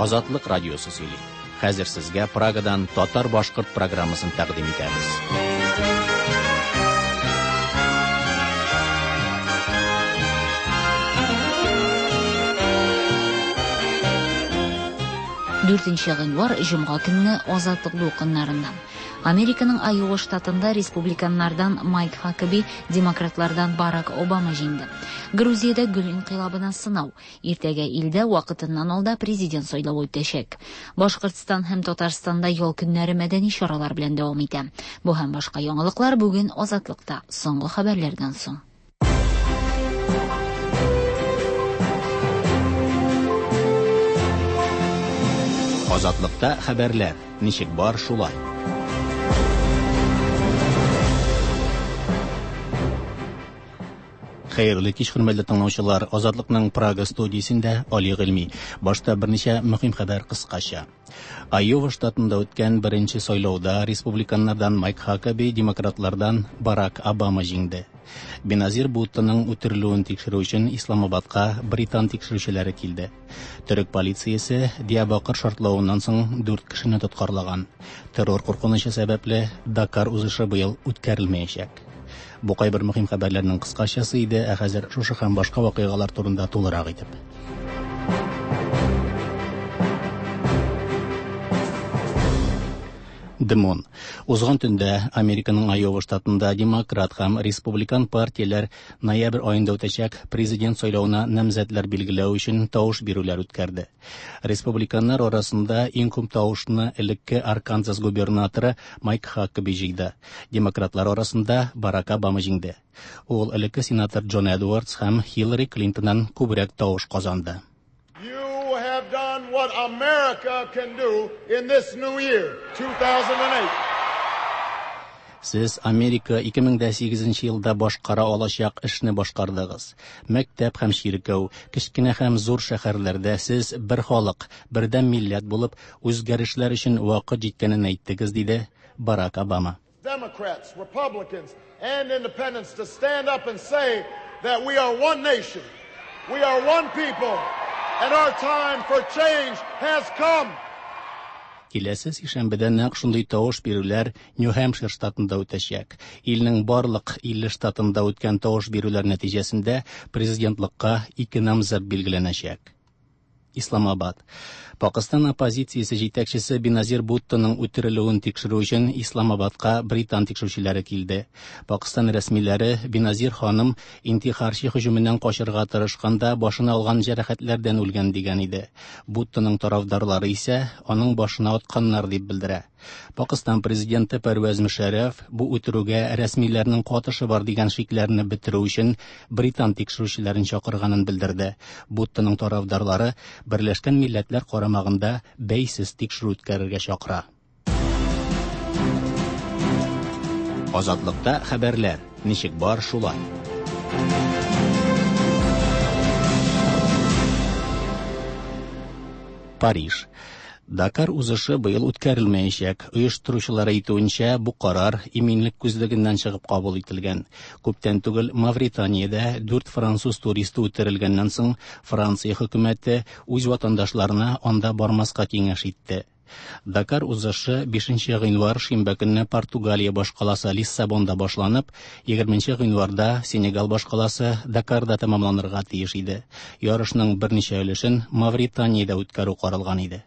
Азатлык радиосы сөйли. Хәзер сезгә Прагадан татар-башкорт программасын тәкъдим итәбез. Дүртенче гыйнвар, җомга көнне Азатлык дулкыннарыннан. Американың Айова штатында республиканнардан Майк Хакаби, демократлардан Барак Обама җиңде. Грузиядә гөл инкыйлабына сынау. Иртәгә илдә вакытыннан алда президент сайлавы үтәчәк. Башкортстан һәм Татарстанда ял көннәре мәдәни чаралар белән дәвам итә. Бу һәм башка яңалыклар бүген Азатлыкта соңгы хәбәрләрдән соң. Азатлыкта хәбәрләр ничек бар шулай. Хәерле кич, хөрмәтле тыңлаучылар. Азатлыкның Прага студиясендә Али Гыйльми. Башта берничә мөһим хәбәр кыскача. Айова штатында үткән беренче сайлауда республиканнардан Майк Хакаби, демократлардан Барак Обама җиңде. Беназир Буттының үтерелүен тикшерү өчен Исламабадка британ тикшерүчеләре килде. Төрек полициясе Диябакыр шартлавыннан соң дүрт кешене тоткарлаган. Террор куркынычы сәбәпле Дакар узышы быел үткәрелмәячәк. Бу кайбер мөһим хәбәрләрнең кыскачасы иде, ә хәзер шушы һәм башка вакыйгалар турында тулырак итеп. Дымон. Узган төндә Американың Айова штатында демократ һәм республикан партияләр ноябрь аенда үтәчәк президент сайлавына намзәтләр билгеләү өчен тавыш бирүләр үткәрде. Республиканнар арасында иң күп тавышны элекке Арканзас губернаторы Майк Хакаби җыйды. Демократлар арасында Барак Обама җиңде. Ул элекке сенатор Джон Эдвардс һәм Хиллари Клинтоннан күбрәк тавыш казанды. You have done what America can do in this new year, 2008. Сез Америка 2008 елда башкара алачак эшне башкардыгыз. Мәктәп һәм чиркәү, кечкенә һәм зур шәһәрләрдә сез бер халык, бердәм милләт булып, үзгәрешләр өчен вакыт җиткәнен әйттегез, диде Барак Обама. Democrats, Republicans, and independents to stand up and say that we are one nation, we are one people, and our time for change has come. Киләсе сишәмбедә нәкъ шундый тавыш бирүләр Нью-Хэмпшир штатында үтәчәк. Илнең барлык 50 штатында үткән тавыш бирүләр нәтиҗәсендә президентлыкка ике намзәт билгеләнәчәк. Исламабад. Пакыстан оппозициясе җитәкчесе Беназир Буттоның үтерелүен тикшерү өчен Исламабадка британ тикшерүчеләре килде. Пакыстан рәсмиләре Беназир ханым интихарчы һөҗүменнән качырга тырышканда башына алган җәрәхәтләрдән үлгән дигән иде. Буттоның тарафдарлары исә аның башына атканнар дип белдерә. Пакыстан президенты Пәрвәз Мөшәрәф бу үтерүгә рәсмиләрнең катышы бар дигән шикләрне бетерү өчен британ тикшерүчеләрен чакырганын белдерде. Буттоның тарафдарлары Берләшкән Милләтләр карамагында бәйсез тикшерү үткәрергә чакыра. Азатлыкта хәбәрләр ничек бар шулай. Париж. Дакар узышы быел үткәрелмәячәк. Оештыручылар әйтүенчә, бу карар иминлек күзлегеннән чыгып кабул ителгән. Күптән түгел Мавританиядә дүрт француз туристы үтерелгәннән соң Франция хөкүмәте үз ватандашларына анда бармаска киңәш итте. Дакар узышы 5 гыйнвар шимбә көнне Португалия башкаласы Лиссабонда башланып, 20 гыйнварда Сенегал башкаласы Дакарда тәмамланырга тиеш иде. Ярышның берничә өлешен Мавританиядә үткәрү каралган иде.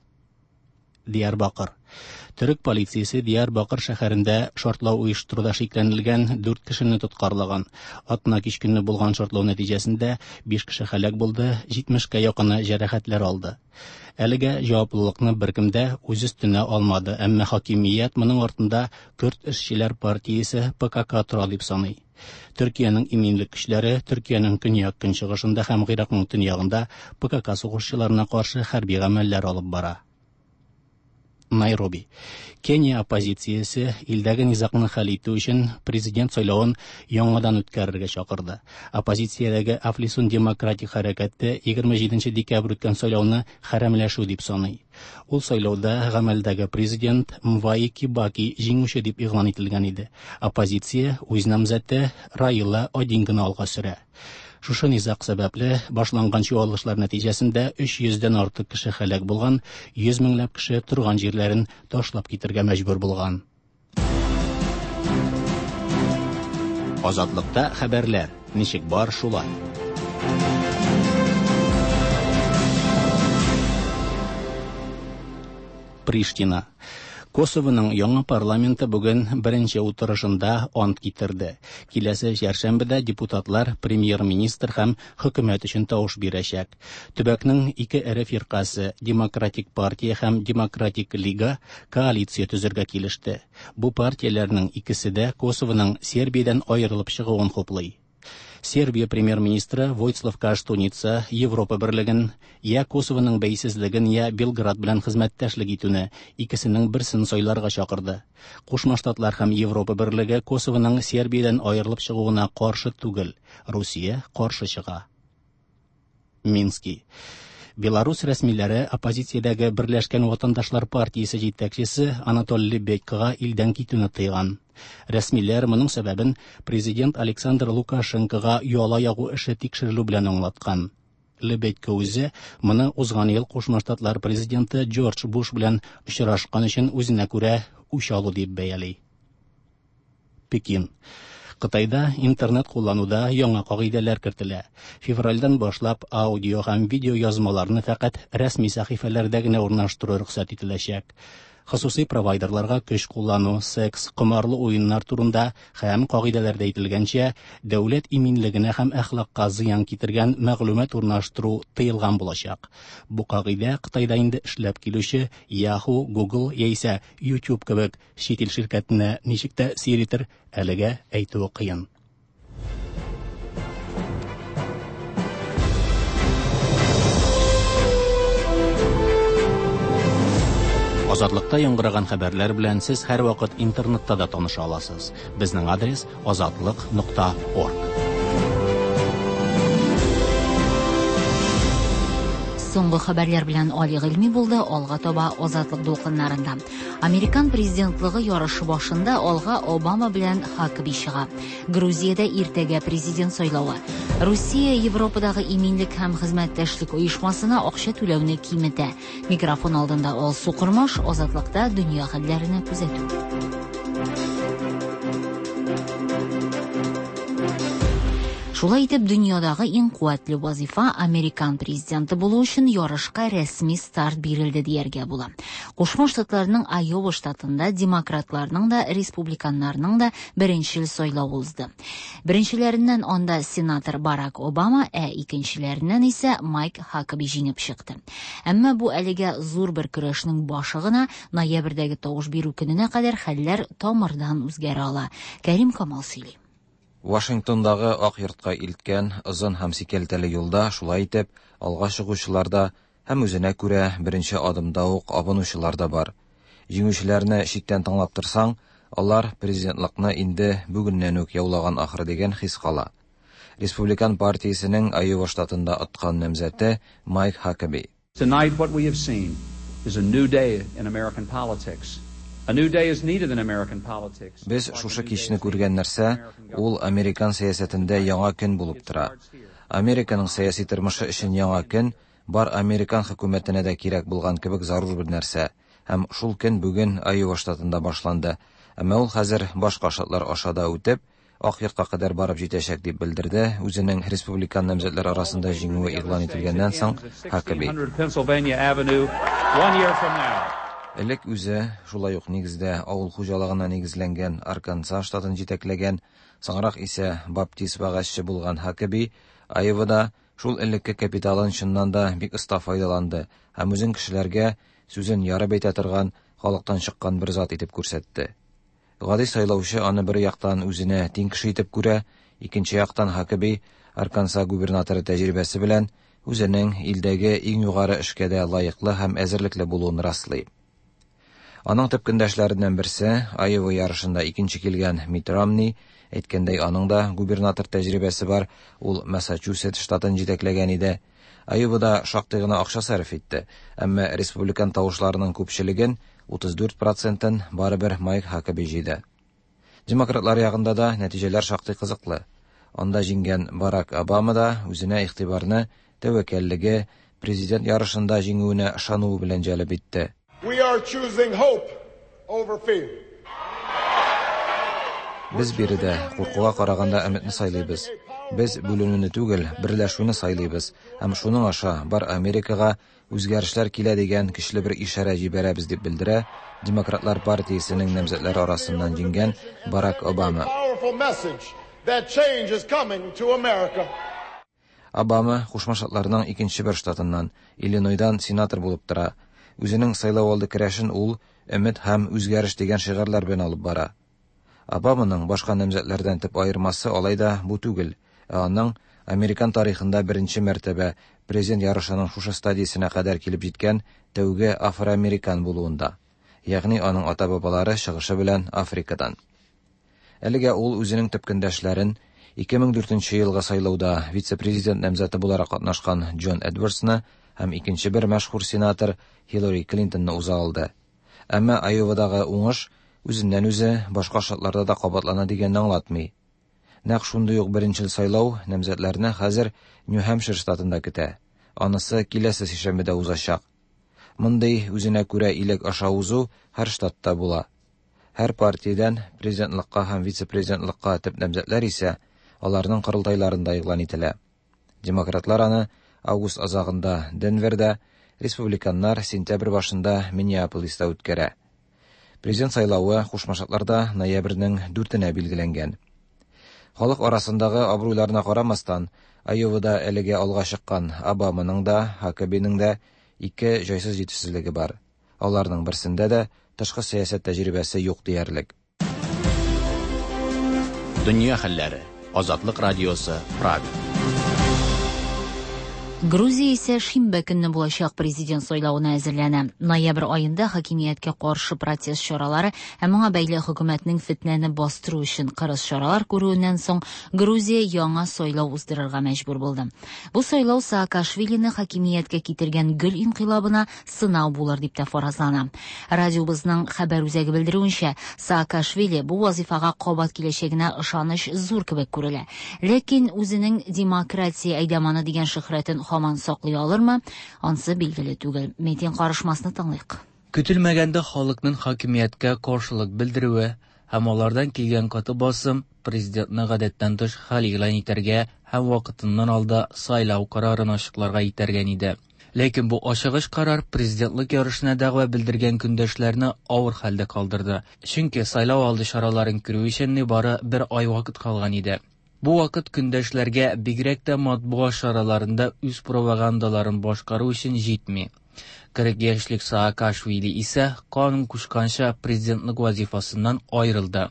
Диярбакыр. Төрек полициясе Диярбакыр шәһәрендә шартлау оештыруда шикләнелгән дүрт кешене тоткарлаган. Атна кич көнне булган шартлау нәтиҗәсендә 5 кеше һәлак булды, 70кә якыны җәрәхәтләр алды. Әлегә җаваплылыкны беркем дә үз өстенә алмады, әмма хакимият моның артында Көрд эшчеләр партиясе ПКК тора дип саный. Төркиянең иминлек көчләре Төркиянең көньяк-көнчыгышында һәм Гыйракның төньягында ПКК сугышчыларына каршы хәрби гамәлләр алып бара. Найроби. Кения оппозициясе илдәге низагны хәл итү өчен президент сайлавын яңадан үткәрергә чакырды. Оппозициядәге Афлисун демократик хәрәкәте 27 декабрь үткән сайлауны хәрәмләшү дип саный. Ул сайлауда гамәлдәге президент Мваи Кибаки җиңүче дип игълан ителгән иде. Оппозиция үз намзәте Раила Одинганы алга сөрә. Шушы низаг сәбәпле башланган чуалышлар нәтиҗәсендә 300 дән артык кеше һәлак булган, 100 меңләп кеше торган җирләрен ташлап китергә мәҗбүр булган. Азатлыкта хәбәрләр ничек бар шулай. Приштина. Косовоның яңа парламенты бүген беренче утырышында ант китерде. Киләсе чәршәмбедә депутатлар премьер-министр һәм хөкүмәт өчен тавыш бирәчәк. Төбәкнең ике эре фиркасе Демократик партия һәм Демократик лига коалиция төзергә килеште. Бу партияләрнең икесе дә Косовоның Сербиядән аерылып чыгуын хуплый. Сербия премьер-министры Войцлав Каштуница Европа берлеген, я Косовоның бәйсезлеген, я Белград белән хезмәттәшлек итүне икесенең берсен сайларга чакырды. Кушма Штатлар һәм Европа берлеге Косовоның Сербиядән аерылып чыгуына каршы түгел, Русия каршы чыга. Мински. Беларусь рәсмиләре оппозициядәге Берләшкән ватандашлар партиясе җитәкчесе Анатолий Лебедькага илдән китүне тыйган. Рәсмиләр моның сәбәбен президент Александр Лукашенкога яла ягу эше тикшерелү белән аңлаткан. Лебедько үзе моны узган ел Кушма Штатлар президенты Джордж Буш белән очрашкан өчен үзенә күрә үч алу дип бәяли. Пекин. Кытайда интернет куллануда яңа кагыйдәләр кертелә. Февральдән башлап аудио һәм видео язмаларны фәкать рәсми сәхифәләрдә генә урнаштыру рөхсәт ителәчәк. Хосусый провайдерларга көч куллану, секс, комарлы уеннар турында һәм кагыйдәләрдә әйтелгәнчә, дәүләт иминлегенә һәм әхлакка зыян китергән мәгълүмат урнаштыру тыелган булачак. Бу кагыйдә Кытайда инде эшләп килүче Yahoo, Google яисә YouTube кебек чит ил ширкәтенә ничек тәэсир итер, әлегә әйтүе кыен. Азатлыкта яңгыраган хәбәрләр белән сез һәрвакыт интернетта да таныша аласыз. Безнең адрес азатлык.орг. Соңгы хәбәрләр белән Али Гыйльми булды, алга таба Азатлык дулкыннарында. Американ президентлыгы ярышы башында алга Обама белән Хакаби чыга. Грузиядә иртәгә президент сайлавы. Русия Европадагы иминлек һәм хезмәттәшлек оешмасына акча түләүне киметә. Микрофон алдында Алсу Кормаш, Азатлыкта дөнья хәлләренә күзәтү. Шулай итеп, дөньядагы иң куәтле вазифа американ президенты булу өчен ярышка рәсми старт бирелде дияргә була. Кушма Штатларның Айова штатында демократларның да, республиканнарның да беренчел сайлавы узды. Беренчеләреннән анда сенатор Барак Обама, ә икенчеләреннән исә Майк Хакаби җиңеп чыкты. Әмма бу әлегә зур бер көрәшнең башы гына, ноябрьдәге тавыш бирү көненә кадәр хәлләр тамырдан үзгәрә ала. Кәрим Камал сөйли. Вашингтондагы Ак йортка илткән озын һәм сикәлтәле юлда шулай итеп алга чыгучылар да һәм үзенә күрә беренче адымда ук абынучылар да бар. Җиңүчеләрне читтән тыңлап торсаң, алар президентлыкны инде бүгеннән үк яулаган ахры дигән хис кала. Республикан партиясенең Айова штатында откан намзәте Майк Хакаби. Tonight what we have seen is a new day in American politics. A new day is needed in American politics. Без шушы кичне күргән нәрсә, ул американ сәясәтендә яңа көн булып тора. Американың сәяси тормышы өчен яңа көн бар американ хөкүмәтенә дә кирәк булган кебек зарур бер нәрсә. Һәм шул көн бүген Айова штатында башланды. Әмма ул хәзер башка штатлар аша да үтеп, Ак йортка кадәр барып җитәчәк дип белдерде үзенең республикан намзәтләр арасында җиңүе игълан ителгәннән соң Хакаби. Pennsylvania Avenue, 1 year from now. Элек үзе шулай ук нигездә авыл хуҗалыгына нигезләнгән Арканзас штатын җитәкләгән, соңрак исә баптист вәгазьче булган Хакаби Айовада шул элекке капиталын чыннан да бик оста файдаланды һәм үзен кешеләргә сүзен ярып әйтә торган халыктан чыккан бер зат итеп күрсәтте. Гади сайлаучы аны бер яктан үзенә тиң кеше итеп күрә, икенче яктан Хакаби Арканзас губернаторы тәҗрибәсе белән үзенең илдәге иң югары эшкә дә лаеклы һәм әзерлекле булуын раслый. Аның төп көндәшләреннән берсе Айова ярышында икенче килгән Митт Ромни, әйткәндәй, аның да губернатор тәҗрибәсе бар, ул Массачусетс штатын җитәкләгән иде. Айовада шактый гына акча сарыф итте, әмма республикан тавышларының күпчелеген 34%-ын барыбер Майк Хакаби җыйды. Демократлар ягында да нәтиҗәләр шактый кызыклы. Анда җиңгән Барак Обама да үзенә игътибарны тәвәккәллеге, президент ярышында җиңүенә ышануы белән җәлеп итте. We are choosing hope over fear. Без биредә куркуга караганда өметне сайлыйбыз. Без бүленүне түгел, берләшүне сайлыйбыз һәм шуның аша бар Америкага үзгәрешләр килә дигән көчле бер ишарә җибәрәбез, дип белдерә Демократлар партиясенең намзәтләре арасыннан җиңгән Барак Обама. Powerful message that change is coming to America. Обама Кушма Штатларның икенче бер штатыннан, Иллинойдан сенатор булып тора. Үзенең сайлау алды көрәшен ул өмет һәм үзгәреш дигән шигарьләр белән алып бара. Обаманың башка намзәтләрдән төп аермасы алай да бу түгел, ә аның американ тарихында беренче мәртәбә президент ярышының шушы стадиясенә кадәр килеп җиткән тәүге афроамерикан булуында. Ягъни аның ата-бабалары чыгышы белән Африкадан. Әлегә ул үзенең төп көндәшләрен 2004 елгы сайлауда вице-президент намзәте буларак катнашкан Джон Эдвардсны һәм икенче бер мәшһүр сенатор Хиллари Клинтонны уза алды. Әмма Айовадагы уңыш үзеннән үзе башка штатларда да кабатлана дигәнне аңлатмый. Нәкъ шундый ук беренчел сайлау намзәтләрне хәзер Нью-Хэмпшир штатында көтә. Анысы киләсе сишәмбедә узачак. Мондый үзенә күрә иләк аша узу һәр штатта була. Һәр партиядән президентлыкка һәм вице-президентлыкка төп намзәтләр исә аларның корылтайларында игълан ителә. Демократлар аны август азагында Денверда, республиканнар сентябрь башында Миннеаполиста үткәрә. Президент сайлавы Кушма Штатларда ноябрьнең 4-енә билгеләнгән. Халык арасындагы абруйларына карамастан, Айовада әлегә алга чыккан Обаманың да, Хакабиның да ике җайсыз җитешсезлеге бар. Аларның берсендә дә тышкы сәясәт тәҗрибәсе юк диярлек. Дөнья хәлләре. Азатлык радиосы, Прага. Грузия исә шимбә көнне булачак президент сайлавына әзерләнә. Ноябрь аенда хакимияткә каршы протест чаралары һәм моңа бәйле хөкүмәтнең фетнәне бастыру өчен кырыс чаралар күрүеннән соң Грузия яңа сайлау уздырырга мәҗбүр булды. Бу сайлау Саакашвилины хакимияткә китергән гөл инкыйлабына сынау булыр дип тә фаразлана. Радиобызның хәбәр үзәге белдерүенчә, Саакашвили бу вазифага кабат киләчәгенә ышаныч зур кебек күрелә. Ләкин үзенең демократия әйдаманы дигән шөһрәтен һаман саклый алырмы? Ансы билгеле түгел. Метин карышмасны тыңлыйк. Көтелмәгәндә халыкның хакимияткә каршылык белдерүе һәм алардан килгән каты басым президентны гадәттән тыш хәл игълан итәргә һәм вакытыннан алда сайлау карарын ачыкларга этәргән иде. Ләкин бу ашыгыч карар президентлык ярышына дәгъва белдергән көндәшләрне авыр хәлдә калдырды. Чөнки сайлау алды чараларын күрү өчен нибары бер ай вакыт калган иде. Бу вакыт көндәшләргә бигрәк тә матбугат чараларында үз пропагандаларын башкару өчен җитми. 40 яшьлек Саакашвили исә канун кушканча президентлык вазифасыннан аерылды.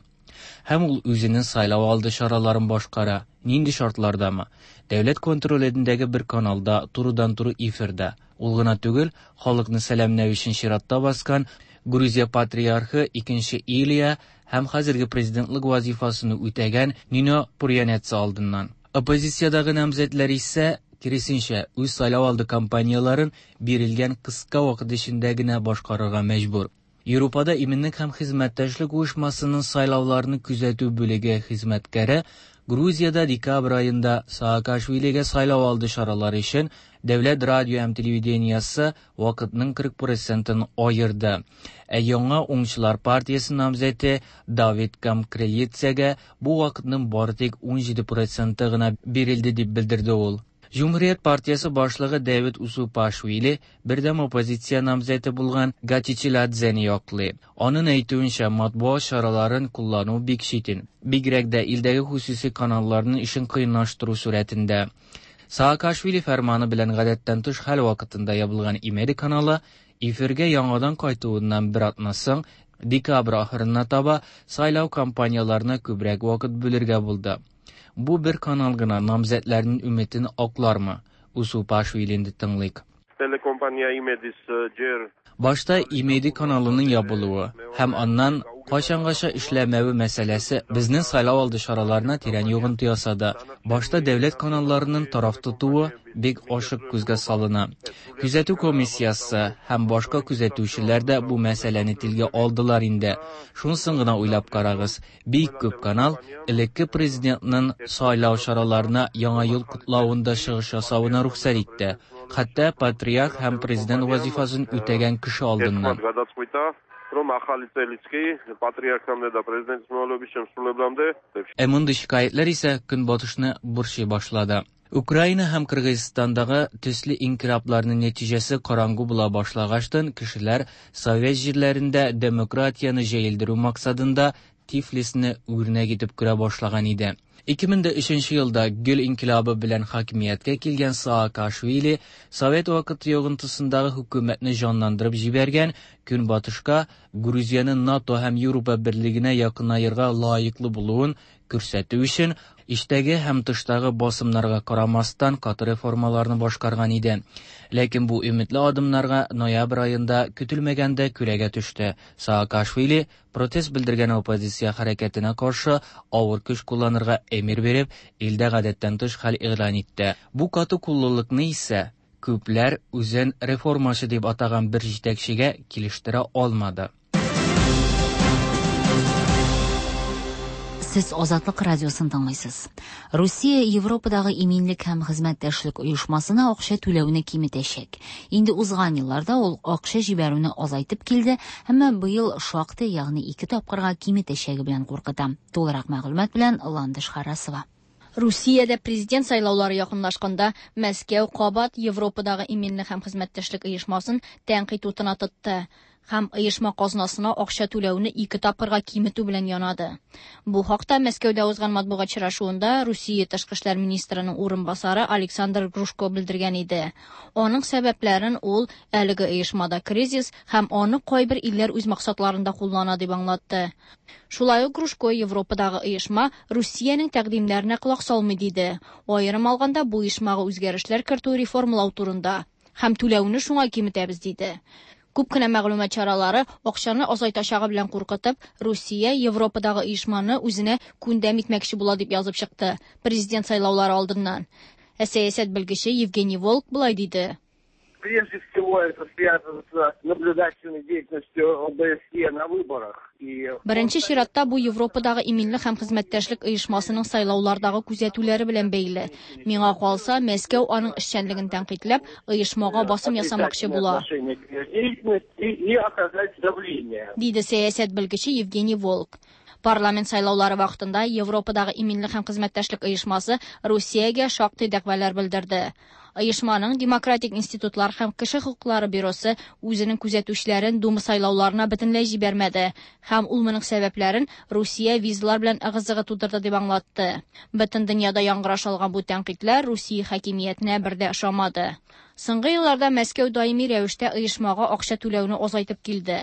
Һәм ул үзенең сайлау алды чараларын башкара. Нинди шартлардамы? Дәүләт контролендәге бер каналда турыдан-туры эфирда. Ул гына түгел, халыкны сәламләү өчен чиратта баскан Грузия патриархы 2 Илия һәм хәзерге президентлык вазифасын үтәгән Нино Пурьянеца алдыннан. Оппозициядагы намзәтләр исә киресенчә үз сайлау алды кампанияларын бирелгән кыска вакыт эчендә генә башкарырга мәҗбүр. Европада иминлек һәм хезмәттәшлек оешмасының сайлауларны күзәтү бүлеге хезмәткәре Грузиядә декабрь аенда Саакашвилигә сайлау алды чаралары өчен дәүләт радио һәм телевидениесе вакытның 40%-ын аерды. Ә яңа уңчылар партиясе намзәте Давид Камкрелицегә бу вакытның бары тик 17%-ы гына бирелде дип белдерде ул. Җөмһүрият партиясе башлыгы Давид Усупашвили бердәм оппозиция намзәте булган Гатичиладзены яклый. Аның әйтүенчә, матбугат чараларын куллану бик читен. Бигрәк дә илдәге хосуси каналларның эшен кыенлаштыру сурәтендә. Саакашвили фәрманы белән гадәттән тыш хәл вакытында ябылган Имеди каналы эфиргә яңадан кайтуыннан бер атна соң декабрь ахырына таба сайлау кампанияларына күбрәк вакыт бүлергә булды. Бу бер канал гына намзәтләрнең өметен аклармы? Усупашвилинде тыңлыйк. Телекомпания Имедис җер. Башта Имеди каналының ябылуы һәм аннан кайчангача эшләмәве мәсьәләсе безнең сайлау алды чараларына тирән йогынты ясады. Башта дәүләт каналларының тараф тотуы бик ачык күзгә салына. Күзәтү комиссиясе һәм башка күзәтүчеләр дә бу мәсьәләне телгә алдылар инде. Шунысын гына уйлап карагыз, бик күп канал элекке президентның сайлау чараларына Яңа ел котлавында чыгыш ясавына рөхсәт итте. Хәтта патриарх һәм президент вазифасын үтәгән кеше алдыннан. რომ ახალი წელიც კი პატრიარქამდე და პრეზიდენტის მოვალეობის შემსრულებლამდე. Ә мондый шикаятьләр исә Көнбатышны борчый башлады. Украина һәм Кыргызстандагы төсле инкыйлабларның нәтиҗәсе караңгы була башлагачтын, кешеләр совет җирләрендә демократияне җәелдерү максатында Тифлисны үрнәк итеп күрә башлаган иде. 2003 елда Гөл инкыйлабы белән хакимияткә килгән Саакашвили совет вакыты йогынтысындагы хөкүмәтне җанландырып җибәргән, Көнбатышка Грузиянең НАТО һәм Европа берлегенә якынаерга лаеклы булуын күрсәтү өчен эчтәге һәм тыштагы басымнарга карамастан каты реформаларны башкарган иде. Ләкин бу өметле адымнарга ноябрь аенда көтелмәгәндә күләгә төште. Саакашвили протест белдергән оппозиция хәрәкәтенә каршы авыр көч кулланырга әмер биреп, илдә гадәттән тыш хәл игълан итте. Бу каты куллылыкны исә күпләр үзен реформачы дип атаган бер җитәкчегә килештерә алмады. Сез Азатлык радиосын тыңлыйсыз. Русия Европадагы иминлек һәм хезмәттәшлек оешмасына акча түләүне киметәчәк. Инде узган елларда ул акча җибәрүне азайтып килде, әмма быел шактый, ягъни ике тапкырга киметәчәге белән куркыта. Тулырак мәгълүмат белән Ландыш Харасова. Русиядә президент сайлаулары якынлашканда Мәскәү кабат Европадагы иминлек һәм хезмәттәшлек оешмасын тәнкыйть утына тотты һәм оешма казнасына акча түләүне ике тапкырга киметү белән янады. Бу хакта Мәскәүдә узган матбугат очрашуында Русия тышкы эшләр министрының урынбасары Александр Грушко белдергән иде. Аның сәбәпләрен ул әлеге оешмада кризис һәм аны кайбер илләр үз максатларында куллана дип аңлатты. Шулай ук Грушко Европадагы оешма Русиянең тәкъдимнәренә колак салмый диде. Аерым алганда бу оешмага үзгәрешләр кертү реформалау турында һәм түләүне шуңа киметәбез диде. Күп кенә мәгълүмат чаралары акчаны азайтачагы белән куркытып, Русия Европадагы оешманы үзенә күндәм итмәкче була дип язып чыкты президент сайлаулары алдыннан. Ә сәясәт белгече Евгений Волк болай диде. Прежде всего это связано с наблюдательной деятельностью ОБСЕ на выборах. И Беренче чиратта бу Европадагы иминлек һәм хезмәттәшлек оешмасының сайлаулардагы күзәтүләре белән бәйле. Миңа калса, Мәскәү аның эшчәнлеген тәнкыйтьләп, оешмага басым ясамакчы була. отношение к ее деятельности и оказать давление. Диде сәясәт белгече Евгений Волк. Парламент сайлаулары вакытында Европадагы иминлек һәм хезмәттәшлек оешмасы Русиягә шактый дәгъвалар белдерде. Оешманың демократик институтлар һәм кеше хокуклары бюросы үзенең күзәтүчеләрен Дума сайлауларына бөтенләй җибәрмәде һәм ул моның сәбәпләрен Русия визалар белән ыгы-зыгы тудырды дип аңлатты. Бөтен дөньяда яңгыраш алган бу тәнкыйтьләр Русия хакимиятенә бер дә ошамады. Соңгы елларда Мәскәү даими рәвештә оешмага акча түләүне азайтып килде.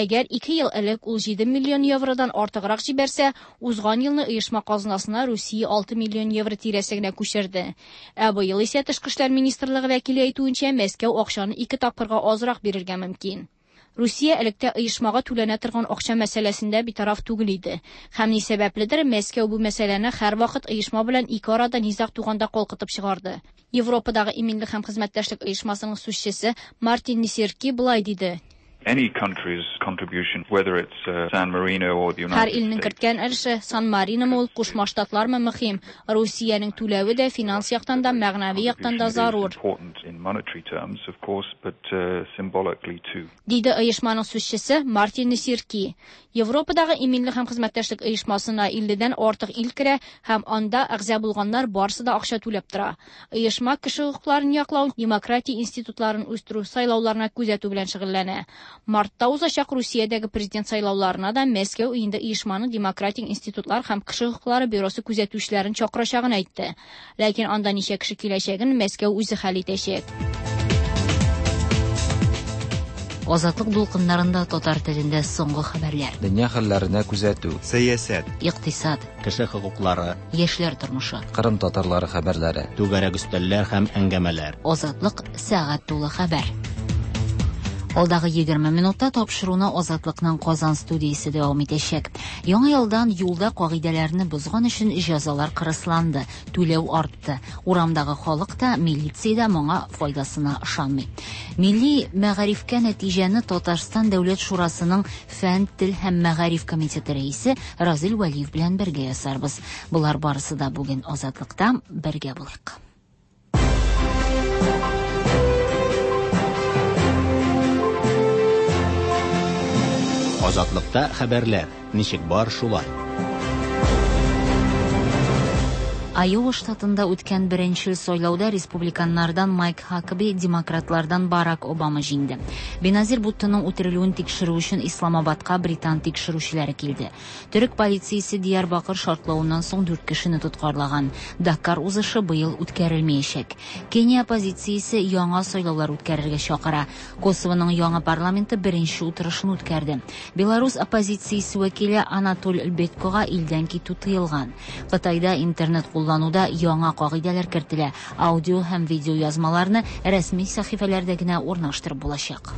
Әгәр 2 ел элек ул 7 миллион евродан артыграк җибәрсә, узган елны оешма казнасына Русия 6 миллион евро тирәсе генә күчерде. Ә быел исә Тышкы эшләр министрлыгы вәкиле әйтүенчә, Мәскәү акчаны ике тапкырга азрак бирергә мөмкин. Русия электә оешмага түләнә торган акча мәсьәләсендә битараф түгел иде. Һәм ни сәбәпледер, Мәскәү бу мәсьәләне һәрвакыт оешма белән ике арада низаг туганда калкытып чыгарды. Европадагы иминлек һәм хезмәттәшлек оешмасының сүзчесе Мартин Несерки болай диде. Any country's contribution, whether it's San Marino or the Һәр United илнең States, керткән өлеше Сан Мариномы ул, Кушма Штатлармы мөһим. Русиянең түләве дә финанс яктан да, мәгънәви яктан да contribution is зарур. important in monetary terms, of course, but symbolically too. Диде оешманың сүзчесе Мартин Несерки. Европадагы иминлек һәм хезмәттәшлек оешмасына 50-дән артык ил керә һәм анда әгъза булганнар барысы да акча түләп тора. Оешма кеше хокукларын яклау, демократия институтларын үстерү, сайлауларына күзәтү белән шөгыльләнә. Мартта узачак Русиядәге президент сайлауларына да Мәскәү инде оешманың демократик институтлар һәм кеше хокуклары бюросы күзәтүчеләрен чакырачагын әйтте. Ләкин анда ничә кеше киләчәген Мәскәү үзе хәл итәчәк. Азатлык дулкыннарында татар телендә соңгы хәбәрләр. Дөнья хәлләренә күзәтү, Сәясәт, Икътисад, Кеше хокуклары, яшьләр тормышы. Кырым татарлары хәбәрләре. Түгәрәк өстәлләр һәм әңгәмәләр. Азатлык сәгать тулы хәбәр. Алдагы 20 минутта тапшыруны Азатлыкның Казан студиясе дәвам итәчәк. Яңа елдан юлда кагыйдәләрне бозган өчен җәзалар кырысланды, түләү артты. Урамдагы халык та, милиция дә моңа файдасына ышанмый. Милли мәгарифкә нәтиҗәне Татарстан Дәүләт шурасының фән, тел һәм мәгариф комитеты рәисе Разил Вәлиев белән бергә ясарбыз. Болар барысы да бүген Азатлыкта. Бергә булыйк. Азатлыкта хәбәрләр, ничек бар шулай. Айова штатында үткән беренчел сайлауда республиканнардан Майк Хакаби, демократлардан Барак Обама җиңде. Беназир Буттоның үтерелүен тикшерү өчен Исламабадка британ тикшерүчеләре килде. Төрек полициясе Диярбакыр шартлавыннан соң дүрт кешене тоткарлаган. Дакар узышы быел үткәрелмәячәк. Кения оппозициясе яңа сайлаулар үткәрергә чакыра. Косовоның яңа парламенты беренче утырышын үткәрде. Беларус оппозициясе вәкиле Анатоль Лбеткога илдән китү тыелган. Кытайда интернет куллануда яңа кагыйдәләр кертелә. Аудио һәм видео язмаларны рәсми сәхифәләрдә генә урнаштырып булачак.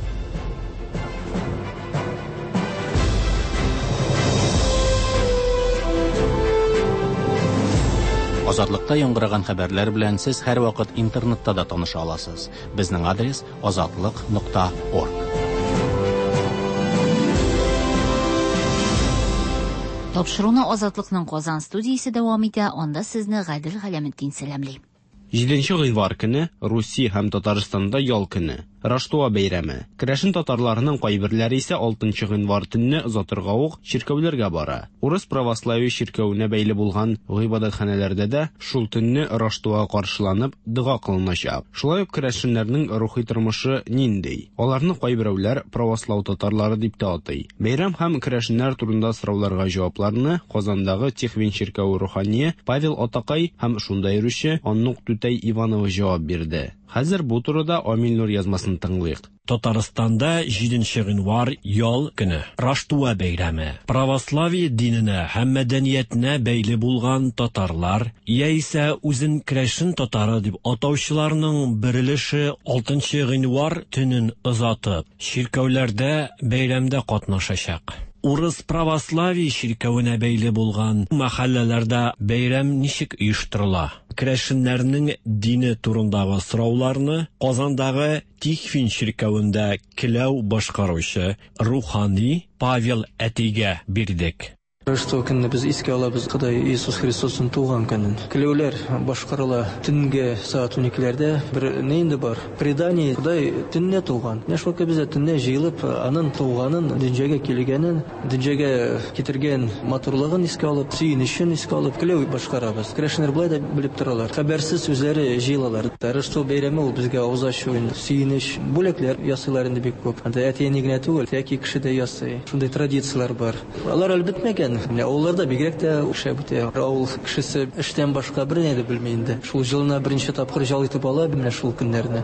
Азатлыкта яңгыраган хәбәрләр белән сез һәрвакыт интернетта да таныша аласыз. Безнең адрес азатлык.орг. Тапшыруны Азатлыкның Казан студиясе дәвам итә, анда сезне Гадел Галәметдин сәламли. 7 гыйнвар көне Русия һәм Татарстанда ял көне. Раштуа бәйрәме. Керәшен татарларының кайберләре исә 6 гыйнвар төнне озатырга ук чиркәүләргә бара. Урыс православие чиркәвенә бәйле булган гыйбадәтханәләрдә дә шул төнне Раштуа каршыланып, дога кылыначак. Шулай ук керәшеннәрнең рухи тормышы нинди? Аларны кайберәүләр правослау татарлары дип тә атый. Бәйрәм һәм керәшеннәр турында сорауларга җавапларны Казандагы Тихвин чиркәве рухание Павел Атакай һәм шунда йөрүче Аннук түтәй Иванова җавап бирде. Хәзер бу турыда Амил Нур язмасын тыңлыйк. Татарстанда 7 гыйнвар ял көне. Раштуа бәйрәме. Православие диненә һәм мәдәниятенә бәйле булган татарлар, яисә үзен керәшен татары дип атаучыларның бер өлеше 6 гыйнвар төнен озатып, чиркәүләрдә бәйрәмдә катнашачак. Урыс православие чиркәвенә бәйле булган мәхәлләләрдә бәйрәм ничек оештырыла? Керәшеннәрнең дине турындагы сорауларны Казандагы Тихвин чиркәвендә келәү башкаручы рухани Павел әтигә бирдек. Рождество көнне без искә алабыз Ходай Иисус Христосның туган көнен. Келәүләр башкарыла төнге сәгать 12-ләрдә. Бер ни инде бар? Предание Ходай төнлә туган. Менә шул без төнлә җыелып, аның туганын, дөньяга килгәнен, дөньяга китергән матурлыгын искә алып, сөенечен искә алып, келәү башкарабыз. Керәшеннәр болай да белеп торалар. Хәбәрсез үзләре җыелалар. Рождество бәйрәме ул безгә авыз ачу, сөенеч, бүләкләр ясыйлар инде бик күп. Анда әти-әни генә түгел, яки кеше дә ясый. Шундый традицияләр бар. Алар әле бетмәгән. Менә авылларда бигрәк тә шәп үтә. Авыл кешесе эштән башка берни дә белми инде. Шул җылына беренче тапкыр ял итеп ала менә шул көннәрне.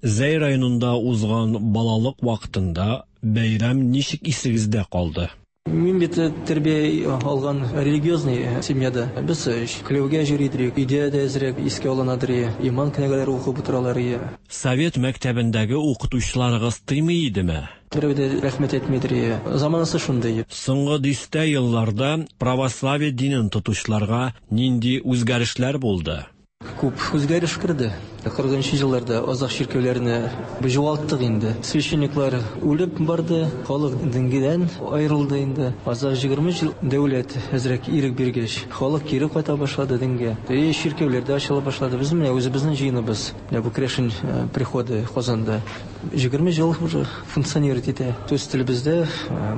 Зәй районында узган балалык вакытында бәйрәм ничек исегездә калды? Мин бит тәрбия алган религиозный семьяда. Без келәүгә йөри идек, өйдә дә әзрәк искә алынадыр, иман книгәләре укып утыралар. Совет мәктәбендәге укытучыларыгыз тыймый идеме? Берәү дә рәхмәт әйтмидер. Заманасы шундый. Соңгы дистә елларда православие динен тотучыларга нинди үзгәрешләр булды? Күп үзгәреш керде. 40 елларда азак чиркәүләрне югалттык инде. Священниклар үлеп барды, халык дингедән аерылды инде. Азак 20 ел дәүләт әзрәк ирек биргәч, халык кире кайта башлады дингә. И чиркәүләр дә ачыла башлады. Без менә үзебезнең җыеныбыз, менә бу керәшен приходы Казанда 20 ел уже функционировать итә. Үз телебездә